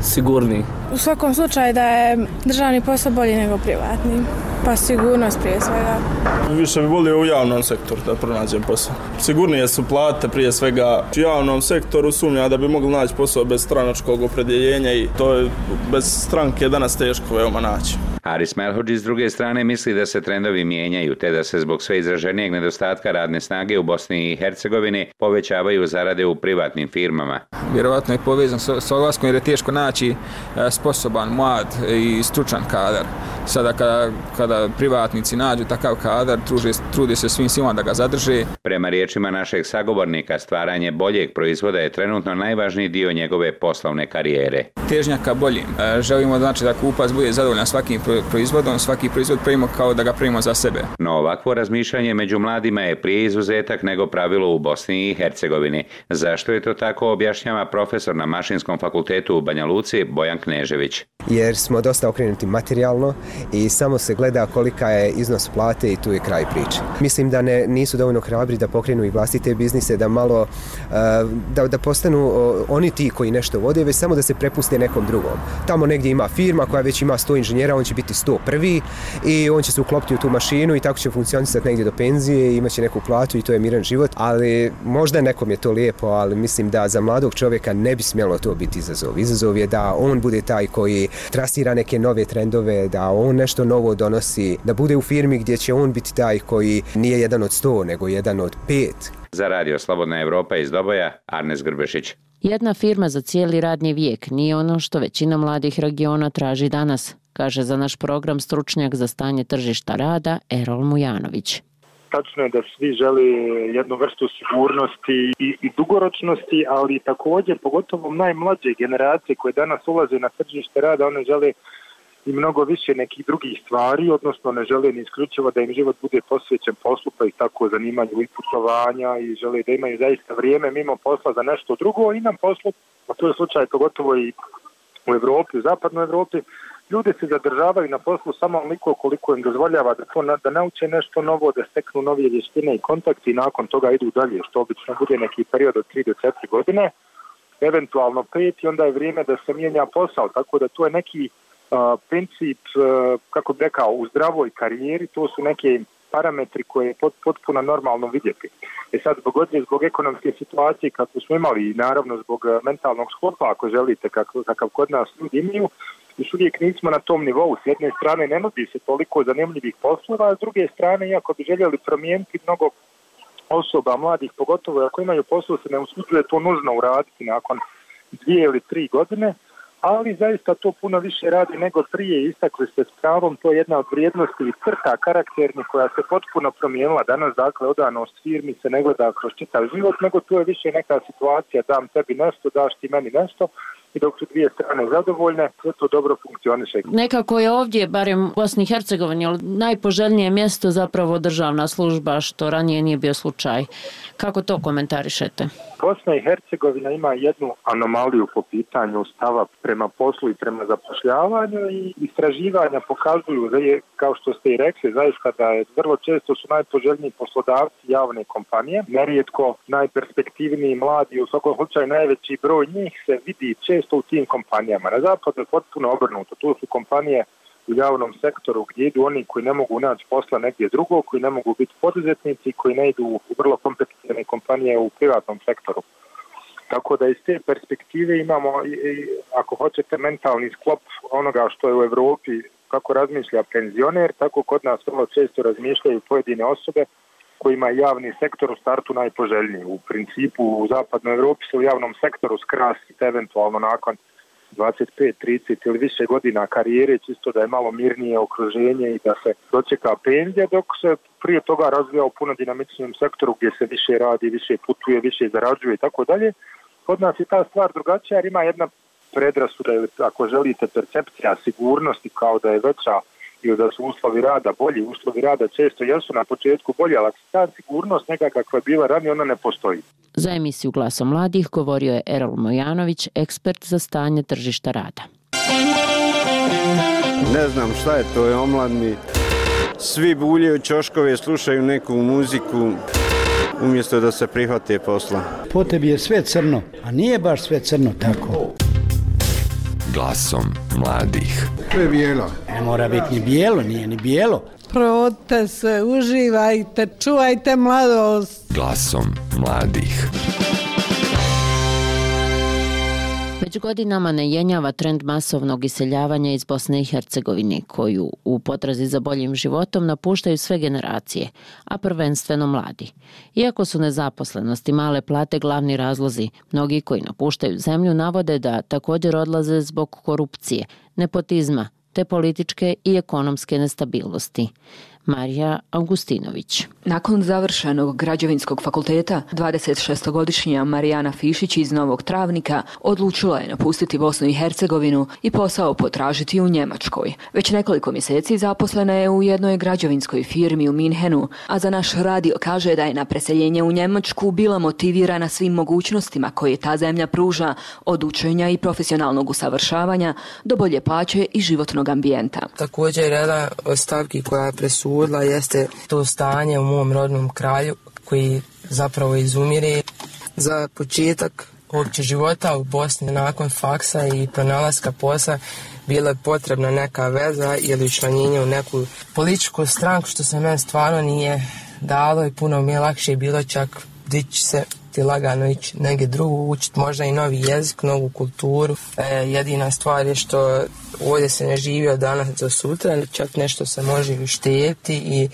sigurniji. U svakom slučaju da je državni posao bolji nego privatni, pa sigurnost prije svega. Više bi volio u javnom sektoru da pronađem posao. Sigurnije su plate prije svega u javnom sektoru, sumnja da bi mogli naći posao bez stranačkog opredjeljenja i to je bez stranke danas teško veoma naći. Haris Melhodžić s druge strane misli da se trendovi mijenjaju te da se zbog sve izraženijeg nedostatka radne snage u Bosni i Hercegovini povećavaju zarade u privatnim firmama. Vjerovatno je povezan s odlaskom jer je teško naći sposoban, mlad i stručan kadar. Sada kada privatnici nađu takav kadar, trude se svim silama da ga zadrže. Prema riječima našeg sagovornika, stvaranje boljeg proizvoda je trenutno najvažniji dio njegove poslovne karijere. Težnja ka boljim. Želimo znači da kupac bude zadovoljan svakim proizvodom, svaki proizvod pravimo kao da ga pravimo za sebe. No ovakvo razmišljanje među mladima je prije izuzetak nego pravilo u Bosni i Hercegovini. Zašto je to tako, objašnjava profesor na Mašinskom fakultetu u Banja Luci Bojan Knežević. Jer smo dosta okrenuti materijalno i samo se gleda kolika je iznos plate i tu je kraj priče. Mislim da nisu dovoljno hrabri da pokrenu i vlastite biznise, da malo da postanu oni ti koji nešto vode, već samo da se prepuste nekom drugom. Tamo negdje ima firma koja već ima 100 inženjera, on će biti 101. i on će se uklopiti u tu mašinu i tako će funkcionisati negdje do penzije i imaće neku platu i to je miran život. Ali možda nekom je to lijepo, ali mislim da za mladog čovjeka ne bi smjelo to biti izazov. Izazov je da on bude taj koji trasira neke nove trendove, da on nešto novo donosi, da bude u firmi gdje će on biti taj koji nije jedan od 100, nego jedan od 5. Za Radio Slobodna Evropa iz Doboja, Arnes Grbešić. Jedna firma za cijeli radni vijek nije ono što većina mladih regiona traži danas, kaže za naš program stručnjak za stanje tržišta rada Erol Mujanović. Tačno je da svi žele jednu vrstu sigurnosti i dugoročnosti, ali također, pogotovo najmlađe generacije koje danas ulaze na tržište rada, one žele i mnogo više nekih drugih stvari, odnosno ne žele ni isključivo da im život bude posvećen poslu, pa ih tako zanimanju i putovanja i žele da imaju zaista vrijeme mimo posla za nešto drugo i nam poslu, a to je slučaj pogotovo i u Evropi, u zapadnoj Evropi, ljudi se zadržavaju na poslu samo onoliko koliko im dozvoljava da nauče nešto novo, da steknu novije vještine i kontakti i nakon toga idu dalje, što obično bude neki period od 3 do 4 godine, eventualno 5 i onda je vrijeme da se mijenja posao, tako da to je neki princip, kako bih rekao, u zdravoj karijeri, to su neke parametri koje je potpuno normalno vidjeti. Sad, zbog ekonomske situacije kako smo imali i naravno zbog mentalnog sklopa, ako želite, kakav kod nas ljudi imaju, još uvijek nismo na tom nivou. S jedne strane ne nudi se toliko zanimljivih poslova, a s druge strane, iako bi željeli promijeniti mnogo osoba, mladih, pogotovo ako imaju posao, se ne usuđuje to nužno uraditi nakon 2 ili 3 godine, ali zaista to puno više radi nego prije. Istakli ste s pravom, to je jedna od vrijednosti i crta karakternih koja se potpuno promijenila danas. Dakle, odanost firmi se ne gleda kroz čitav život, nego to je više neka situacija, dam tebi nešto, daš ti meni nešto i dok su dvije strane zadovoljne, sve to dobro funkcioniše. Nekako je ovdje, barem u Bosni i Hercegovini, najpoželjnije mjesto zapravo državna služba, što ranije nije bio slučaj. Kako to komentarišete? Bosna i Hercegovina ima jednu anomaliju po pitanju stava prema poslu i prema zapošljavanju i istraživanja pokazuju, kao što ste i rekli, zaista da je vrlo često su najpoželjniji poslodavci javne kompanije, nerijetko najperspektivniji mladi, u svakom slučaju najveći broj njih se vidi često u tim kompanijama. Na zapadu je potpuno obrnuto, tu su kompanije u javnom sektoru gdje idu oni koji ne mogu naći posla negdje drugo, koji ne mogu biti poduzetnici, koji ne idu u vrlo kompetitivne kompanije u privatnom sektoru. Tako da iz te perspektive imamo, ako hoćete, mentalni sklop onoga što je u Evropi kako razmišlja penzioner, tako kod nas vrlo često razmišljaju pojedine osobe kojima je javni sektor u startu najpoželjniji. U principu u zapadnoj Evropi se u javnom sektoru skrasiti eventualno nakon 25, 30 ili više godina karijere, čisto da je malo mirnije okruženje i da se dočeka penzija, dok se prije toga razvija u puno dinamičnijem sektoru gdje se više radi, više putuje, više zarađuje i tako dalje. Kod nas je ta stvar drugačija jer ima jedna predrasuda ili ako želite percepcija sigurnosti kao da je veća ili da su uslovi rada bolji. Uslovi rada često jesu na početku bolji, ali ta sigurnost neka kakva je bila ranije, ona ne postoji. Za emisiju Glasom mladih govorio je Erol Mojanović, ekspert za stanje tržišta rada. Ne znam šta je to, je omladni. Svi buljaju ćoškove, slušaju neku muziku umjesto da se prihvate posla. Po tebi je sve crno, a nije baš sve crno tako. Glasom mladih. To je bijelo. Ne mora biti ni bijelo, nije ni bijelo. Provodite se, uživajte, čuvajte mladost. Glasom mladih. Već godinama ne jenjava trend masovnog iseljavanja iz Bosne i Hercegovine, koju u potrazi za boljim životom napuštaju sve generacije, a prvenstveno mladi. Iako su nezaposlenost i male plate glavni razlozi, mnogi koji napuštaju zemlju navode da također odlaze zbog korupcije, nepotizma, te političke i ekonomske nestabilnosti. Marija Augustinović. Nakon završenog građevinskog fakulteta, 26-godišnja Marijana Fišić iz Novog Travnika odlučila je napustiti Bosnu i Hercegovinu i posao potražiti u Njemačkoj. Već nekoliko mjeseci zaposlena je u jednoj građevinskoj firmi u Minhenu, a za naš radio kaže da je na preseljenje u Njemačku bila motivirana svim mogućnostima koje ta zemlja pruža, od učenja i profesionalnog usavršavanja do bolje plaće i životnog ambijenta. Također jedna od stavki koja je presudila jeste to stanje u mom rodnom kraju koji zapravo izumire. Za početak uopće života u Bosni nakon faksa i pronalaska posla bila je potrebna neka veza ili učlanjenje u neku političku stranku, što se meni stvarno nije dalo i puno mi je lakše bilo čak dići se ti lagano ići negdje drugo, učiti možda i novi jezik, novu kulturu. Jedina stvar je što ovdje se ne živi od danas do sutra, čak nešto se može uštedjeti i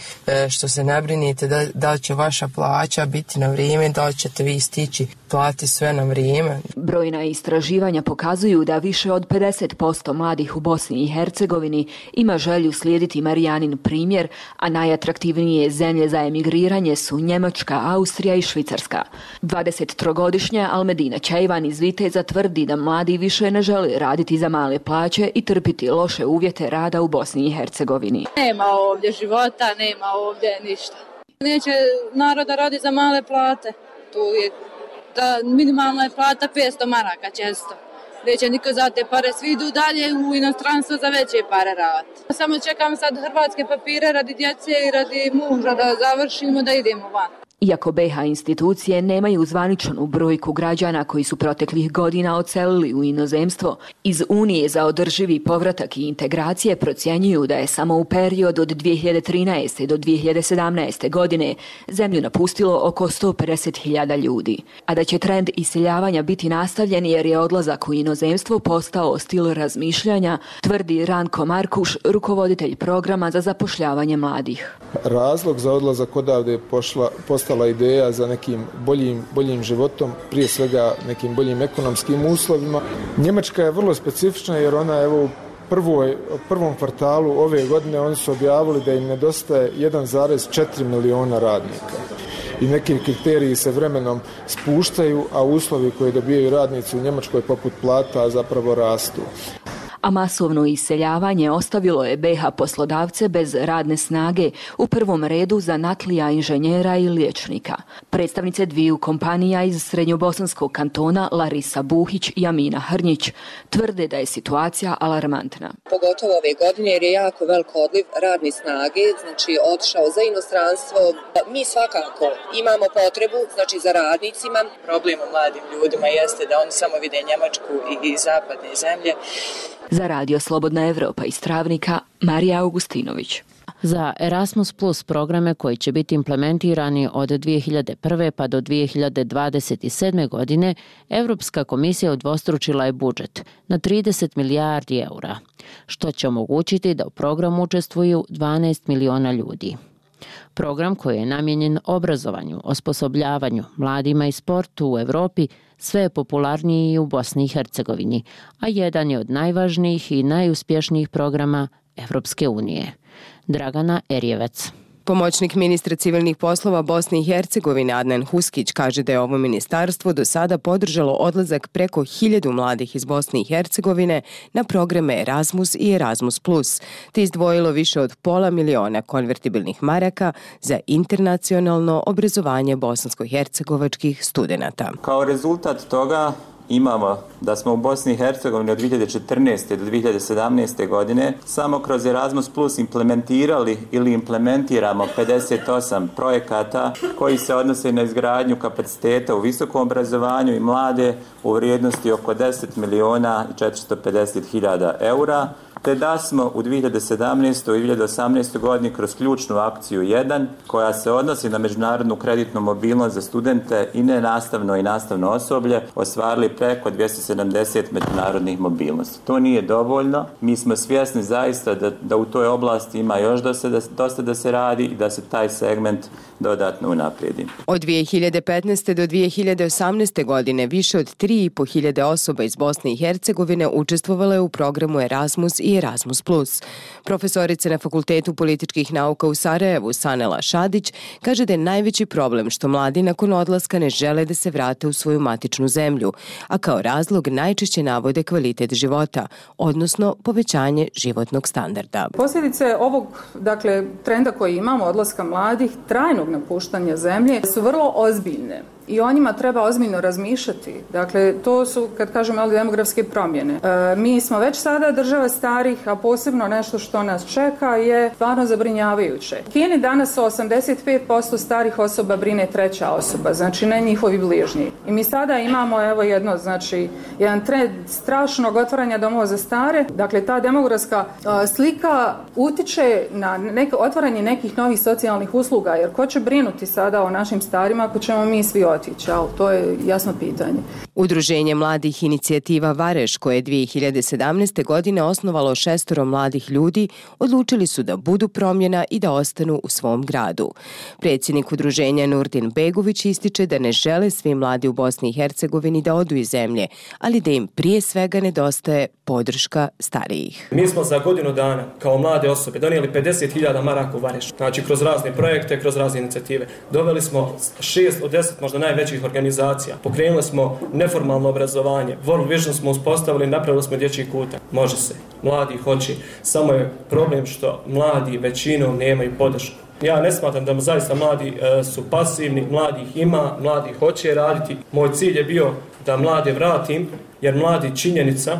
što se ne brinite da li će vaša plaća biti na vrijeme, da li ćete vi stići plati sve na vrijeme. Brojna istraživanja pokazuju da više od 50% mladih u Bosni i Hercegovini ima želju slijediti Marijanin primjer, a najatraktivnije zemlje za emigriranje su Njemačka, Austrija i Švicarska. 23-godišnja Almedina Čejvan iz Viteza tvrdi da mladi više ne žele raditi za male plaće i trpiti loše uvjete rada u Bosni i Hercegovini. Nema ovdje života, nema ovdje ništa. Neće naroda radi za male plate. Tu je minimalna je plata 500 maraka često. Neće niko za te pare, svi idu dalje u inostranstvo za veće pare raditi. Samo čekam sad hrvatske papire radi djece i radi muža da završimo da idemo van. Iako BiH institucije nemaju zvaničnu brojku građana koji su proteklih godina odselili u inozemstvo, iz Unije za održivi povratak i integracije procjenjuju da je samo u periodu od 2013. do 2017. godine zemlju napustilo oko 150.000 ljudi. A da će trend iseljavanja biti nastavljen jer je odlazak u inozemstvo postao stil razmišljanja, tvrdi Ranko Markuš, rukovoditelj programa za zapošljavanje mladih. Razlog za odlazak odavde je postala ideja za nekim boljim životom, prije svega nekim boljim ekonomskim uslovima. Njemačka je vrlo specifična jer ona u prvom kvartalu ove godine oni su objavili da im nedostaje 1,4 miliona radnika. I neki kriteriji se vremenom spuštaju, a uslovi koje dobijaju radnici u Njemačkoj poput plata zapravo rastu. A masovno iseljavanje ostavilo je BiH poslodavce bez radne snage, u prvom redu zanatlija, inženjera i liječnika. Predstavnice dviju kompanija iz srednjobosanskog kantona Larisa Buhić i Amina Hrnjić tvrde da je situacija alarmantna. Pogotovo ove godine jer je jako velik odliv radne snage, znači otišao za inostranstvo. Mi svakako imamo potrebu, znači za radnicima. Problem u mladim ljudima jeste da oni samo vide Njemačku i zapadne zemlje. Za radio Slobodna Evropa iz Travnika, Marija Augustinović. Za Erasmus Plus programe koji će biti implementirani od 2001. pa do 2027. godine, Europska komisija udvostručila je budžet na 30 milijardi eura. što će omogućiti da u programu učestvuju 12 miliona ljudi. Program koji je namijenjen obrazovanju, osposobljavanju, mladima i sportu u Europi sve je popularniji i u Bosni i Hercegovini, a jedan je od najvažnijih i najuspješnijih programa Evropske unije. Dragana Erjevec. Pomoćnik ministra civilnih poslova Bosne i Hercegovine Adnan Huskić kaže da je ovo ministarstvo do sada podržalo odlazak preko 1000 mladih iz Bosne i Hercegovine na programe Erasmus i Erasmus+, te izdvojilo više od $500.000 konvertibilnih maraka za internacionalno obrazovanje bosansko-hercegovačkih studenata. Kao rezultat toga imamo da smo u Bosni i Hercegovini od 2014. do 2017. godine samo kroz Erasmus Plus implementirali ili implementiramo 58 projekata koji se odnose na izgradnju kapaciteta u visokom obrazovanju i mlade u vrijednosti oko 10.450.000 eura, te da smo u 2017. i 2018. godini kroz ključnu akciju 1, koja se odnosi na međunarodnu kreditnu mobilnost za studente i nenastavno i nastavno osoblje, ostvarili preko 270 međunarodnih mobilnosti. To nije dovoljno. Mi smo svjesni zaista da u toj oblasti ima još dosta da se radi i da se taj segment dodatno unaprijedi. Od 2015. do 2018. godine više od 3.500 osoba iz Bosne i Hercegovine učestvovalo je u programu Erasmus i Erasmus+. Profesorica na Fakultetu političkih nauka u Sarajevu, Sanela Šadić, kaže da je najveći problem što mladi nakon odlaska ne žele da se vrate u svoju matičnu zemlju, a kao razlog najčešće navode kvalitet života, odnosno povećanje životnog standarda. Posljedice ovog, trenda koji imamo, odlaska mladih, trajnog napuštanja zemlje, su vrlo ozbiljne. I o njima treba ozbiljno razmišljati. Dakle, to su, kad kažemo, demografske promjene. Mi smo već sada država starih, a posebno nešto što nas čeka je stvarno zabrinjavajuće. U Kini danas 85% starih osoba brine treća osoba, znači ne njihovi bližnji. I mi sada imamo jedan trend strašnog otvaranja domova za stare. Dakle, ta demografska slika utiče na otvaranje nekih novih socijalnih usluga, jer ko će brinuti sada o našim starima ako ćemo mi svi otići, ali to je jasno pitanje. Udruženje mladih inicijativa Vareš, koje je 2017. godine osnovalo 6 mladih ljudi, odlučili su da budu promjena i da ostanu u svom gradu. Predsjednik udruženja Nurdin Begović ističe da ne žele svi mladi u Bosni i Hercegovini da odu iz zemlje, ali da im prije svega nedostaje podrška starijih. Mi smo za godinu dana kao mlade osobe donijeli 50.000 maraka u Vareš. Znači kroz razne projekte, kroz razne inicijative. Doveli smo 6 od 10 možda najvećih organizacija. Pokrenuli smo neformalno obrazovanje. World Vision smo uspostavili, napravili smo dječji kutak. Može se. Mladi hoće. Samo je problem što mladi većinom nemaju podršku. Ja ne smatram da zaista mladi su pasivni, mladi ih ima, mladi hoće raditi. Moj cilj je bio da mlade vratim, jer mladi činjenica,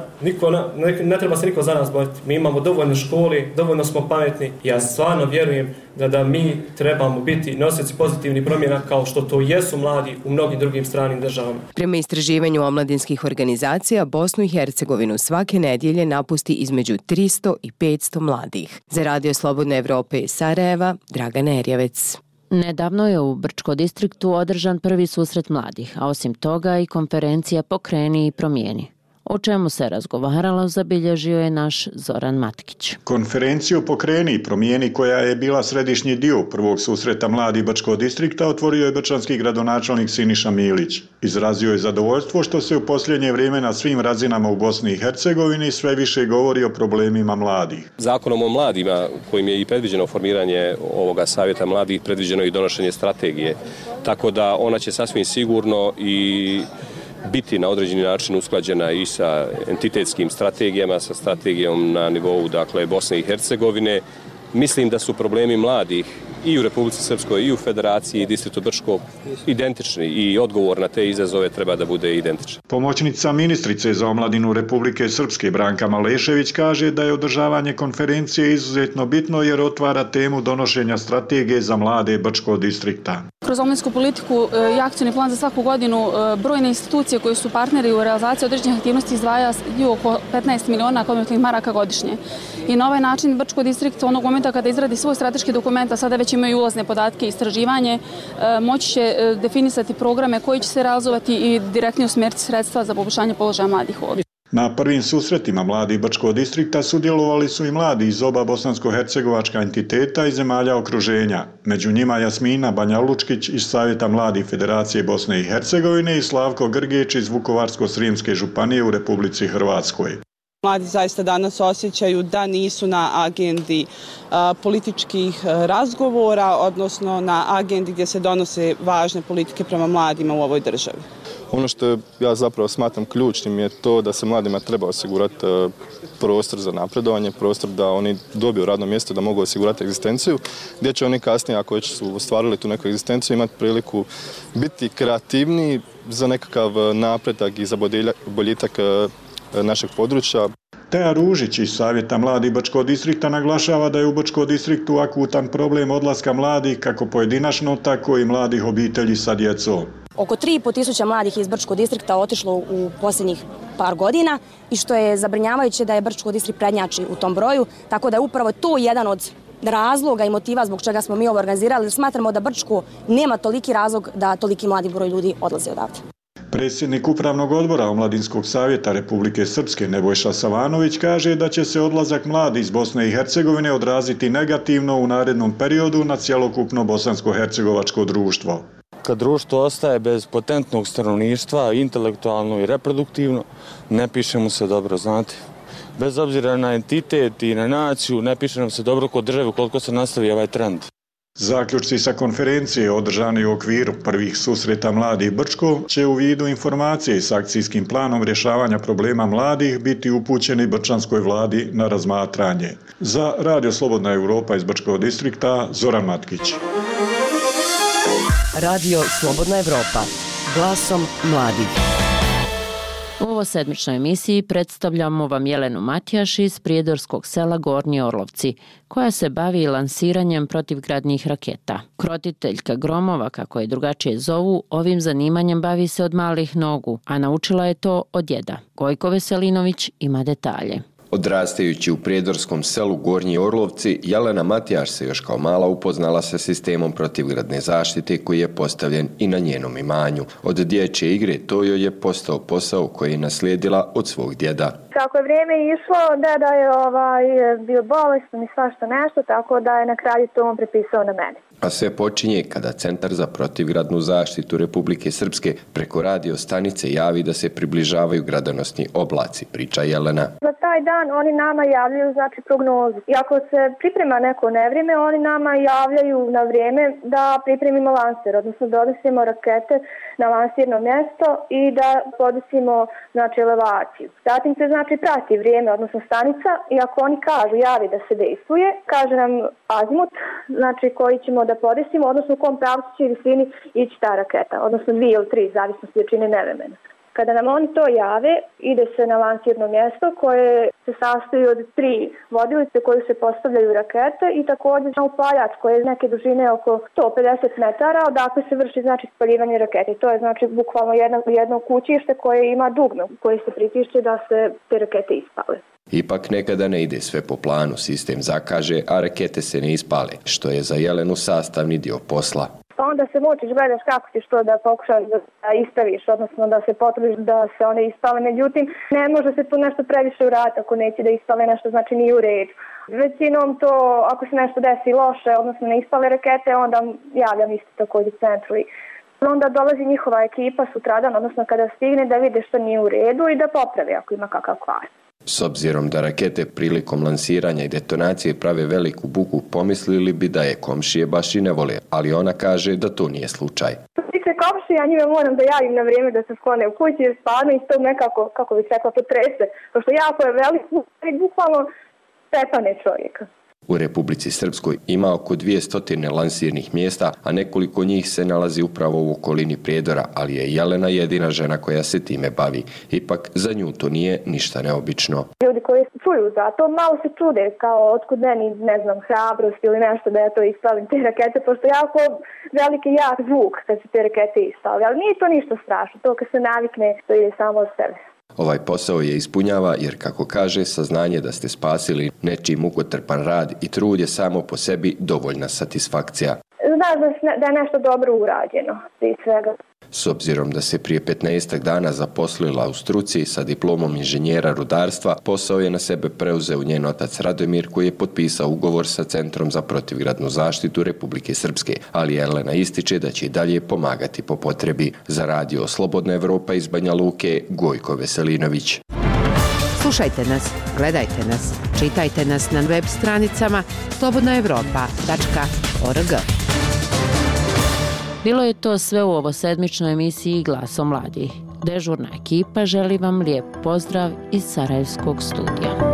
ne treba se niko za nas boriti. Mi imamo dovoljno škole, dovoljno smo pametni. Ja stvarno vjerujem da mi trebamo biti nosioci pozitivnih promjena kao što to jesu mladi u mnogim drugim stranim državama. Prema istraživanju omladinskih organizacija, Bosnu i Hercegovinu svake nedjelje napusti između 300 i 500 mladih. Za Radio Slobodne Evrope iz Sarajeva, Dragana Erjevec. Nedavno je u Brčko distriktu održan prvi susret mladih, a osim toga i konferencija Pokreni i promijeni. O čemu se razgovaralo zabilježio je naš Zoran Matkić. Konferenciju Pokreni i promijeni, koja je bila središnji dio prvog susreta mladih Brčkog distrikta, otvorio je brčanski gradonačelnik Siniša Milić. Izrazio je zadovoljstvo što se u posljednje vrijeme na svim razinama u Bosni i Hercegovini sve više govori o problemima mladih. Zakonom o mladima, kojim je i predviđeno formiranje ovoga savjeta mladih, predviđeno i donošenje strategije. Tako da ona će sasvim sigurno i biti na određeni način usklađena i sa entitetskim strategijama, sa strategijom na nivou Bosne i Hercegovine. Mislim da su problemi mladih i u Republici Srpskoj i u Federaciji i distriktu Brčko identični i odgovor na te izazove treba da bude identičan. Pomoćnica ministrice za omladinu Republike Srpske Branka Malešević kaže da je održavanje konferencije izuzetno bitno jer otvara temu donošenja strategije za mlade Brčkog distrikta. Kroz omladinsku politiku i akcijni plan za svaku godinu brojne institucije koje su partneri u realizaciji određenih aktivnosti izdvajaju oko 15 miliona konvertibilnih maraka godišnje. I na ovaj način Brčko distrikt onog momenta kada izradi svoj strateški dokument, a sada već imaju ulazne podatke i istraživanje, moći će definisati programe koji će se realizovati i direktno usmjeriti sredstva za poboljšanje položaja mladih ovdje. Na prvim susretima mladih Brčkog distrikta sudjelovali su i mladi iz oba bosansko-hercegovačka entiteta i zemalja okruženja. Među njima Jasmina Banja-Lučkić iz Savjeta mladih Federacije Bosne i Hercegovine i Slavko Grgić iz Vukovarsko-srijemske županije u Republici Hrvatskoj. Mladi zaista danas osjećaju da nisu na agendi političkih razgovora, odnosno na agendi gdje se donose važne politike prema mladima u ovoj državi. Ono što ja zapravo smatram ključnim je to da se mladima treba osigurati prostor za napredovanje, prostor da oni dobiju radno mjesto, da mogu osigurati egzistenciju, gdje će oni kasnije, ako već su ostvarili tu neku egzistenciju, imati priliku biti kreativniji za nekakav napredak i za boljitak našeg područja. Teja Ružić iz Savjeta mladih Brčkog distrikta naglašava da je u Brčkom distriktu akutan problem odlaska mladih kako pojedinačno, tako i mladih obitelji sa djecom. Oko 3.500 mladih iz Brčkog distrikta otišlo u posljednjih par godina i što je zabrinjavajuće da je Brčko distrikt prednjači u tom broju, tako da je upravo to jedan od razloga i motiva zbog čega smo mi ovo organizirali. Smatramo da Brčko nema toliki razlog da toliki mladi broj ljudi odlaze odavde. Predsjednik Upravnog odbora Omladinskog savjeta Republike Srpske Nebojša Savanović kaže da će se odlazak mladih iz Bosne i Hercegovine odraziti negativno u narednom periodu na cjelokupno bosansko-hercegovačko društvo. Kad društvo ostaje bez potentnog stanovništva, intelektualno i reproduktivno, ne piše mu se dobro, znate. Bez obzira na entitet i na naciju, ne piše nam se dobro kod države koliko se nastavi ovaj trend. Zaključci sa konferencije održani u okviru prvih susreta mladih Brčko će u vidu informacije s akcijskim planom rješavanja problema mladih biti upućeni brčanskoj vladi na razmatranje. Za Radio Slobodna Europa iz Brčkog distrikta, Zoran Matkić. Radio Slobodna Evropa, glasom mladih. U ovoj sedmičnoj emisiji predstavljamo vam Jelenu Matijaš iz prijedorskog sela Gornji Orlovci, koja se bavi lansiranjem protivgradnih raketa. Krotiteljka gromova, kako je drugačije zovu, ovim zanimanjem bavi se od malih nogu, a naučila je to od djeda. Gojko Veselinović ima detalje. Odrastajući u prijedorskom selu Gornji Orlovci, Jelena Matijaš se još kao mala upoznala sa sistemom protivgradne zaštite koji je postavljen i na njenom imanju. Od dječje igre to joj je postao posao koji je naslijedila od svog djeda. Kako je vrijeme išlo, deda je bio bolestan i svašta nešto, tako da je na kraju to on prepisao na mene. A sve počinje kada Centar za protivgradnu zaštitu Republike Srpske preko radio stanice javi da se približavaju gradonosni oblaci, priča Jelena. Za taj dan oni nama javljaju prognozu. I ako se priprema neko nevrijeme, oni nama javljaju na vrijeme da pripremimo lanser, odnosno da odnosimo rakete na lansirno mjesto i da podesimo elevaciju. Zatim se prati vrijeme, odnosno stanica, i ako oni kažu, javi da se dejstvuje, kaže nam azimut, koji ćemo da podesimo, odnosno u kom pravcu će visini ići ta raketa, odnosno 2 ili 3, zavisno od jačine nevremena. Kada nam oni to jave, ide se na lansirno mjesto koje se sastoji od 3 vodilice koje se postavljaju rakete i također upaljač koje je neke dužine oko 150 metara, odakle se vrši spaljivanje rakete. To je bukvalno jedno kućište koje ima dugme koje se pritišće da se te rakete ispale. Ipak nekada ne ide sve po planu, sistem zakaže, a rakete se ne ispale, što je za Jelenu sastavni dio posla. Pa onda se mučiš, gledaš kako ćeš to da pokušaš da ispraviš, odnosno da se potrudiš da se one ispale. Međutim, ne može se tu nešto previše uraditi ako neće da ispale nešto, nije u redu. Većinom to, ako se nešto desi loše, odnosno ne ispale rakete, onda javljam isto također centru. Onda dolazi njihova ekipa sutradan, odnosno kada stigne, da vide što nije u redu i da popravi ako ima kakav kvar. S obzirom da rakete prilikom lansiranja i detonacije prave veliku buku, pomislili bi da je komšije baš i ne vole, ali ona kaže da to nije slučaj. Što se tiče komšije, ja njima moram da javim na vrijeme da se sklone u kući, jer stvarno iz tog nekako, kako bih rekla, potrese. Pošto jako je veliko i bukvalno stepane čovjeka. U Republici Srpskoj ima oko 200 lansirnih mjesta, a nekoliko njih se nalazi upravo u okolini Prijedora, ali je Jelena jedina žena koja se time bavi. Ipak za nju to nije ništa neobično. Ljudi koji čuju za to malo se čude, kao otkud meni, hrabrost ili nešto da ja to ispalim te rakete, pošto jako veliki jak zvuk kad se te rakete ispali, ali nije to ništa strašno, to kad se navikne, to ide samo od sebe. Ovaj posao je ispunjava jer, kako kaže, saznanje da ste spasili nečiji mukotrpan rad i trud je samo po sebi dovoljna satisfakcija. Znaš da je nešto dobro urađeno, prije svega. S obzirom da se prije 15 dana zaposlila u struci sa diplomom inženjera rudarstva, posao je na sebe preuzeo njen otac Radomir, koji je potpisao ugovor sa Centrom za protivgradnu zaštitu Republike Srpske, ali Jelena ističe da će i dalje pomagati po potrebi. Za radio Slobodna Evropa iz Banja Luke, Gojko Veselinović. Slušajte nas, gledajte nas, čitajte nas na web stranicama slobodnaevropa.org. Bilo je to sve u ovosedmičnoj emisiji Glasom mladih. Dežurna ekipa želi vam lijep pozdrav iz Sarajevskog studija.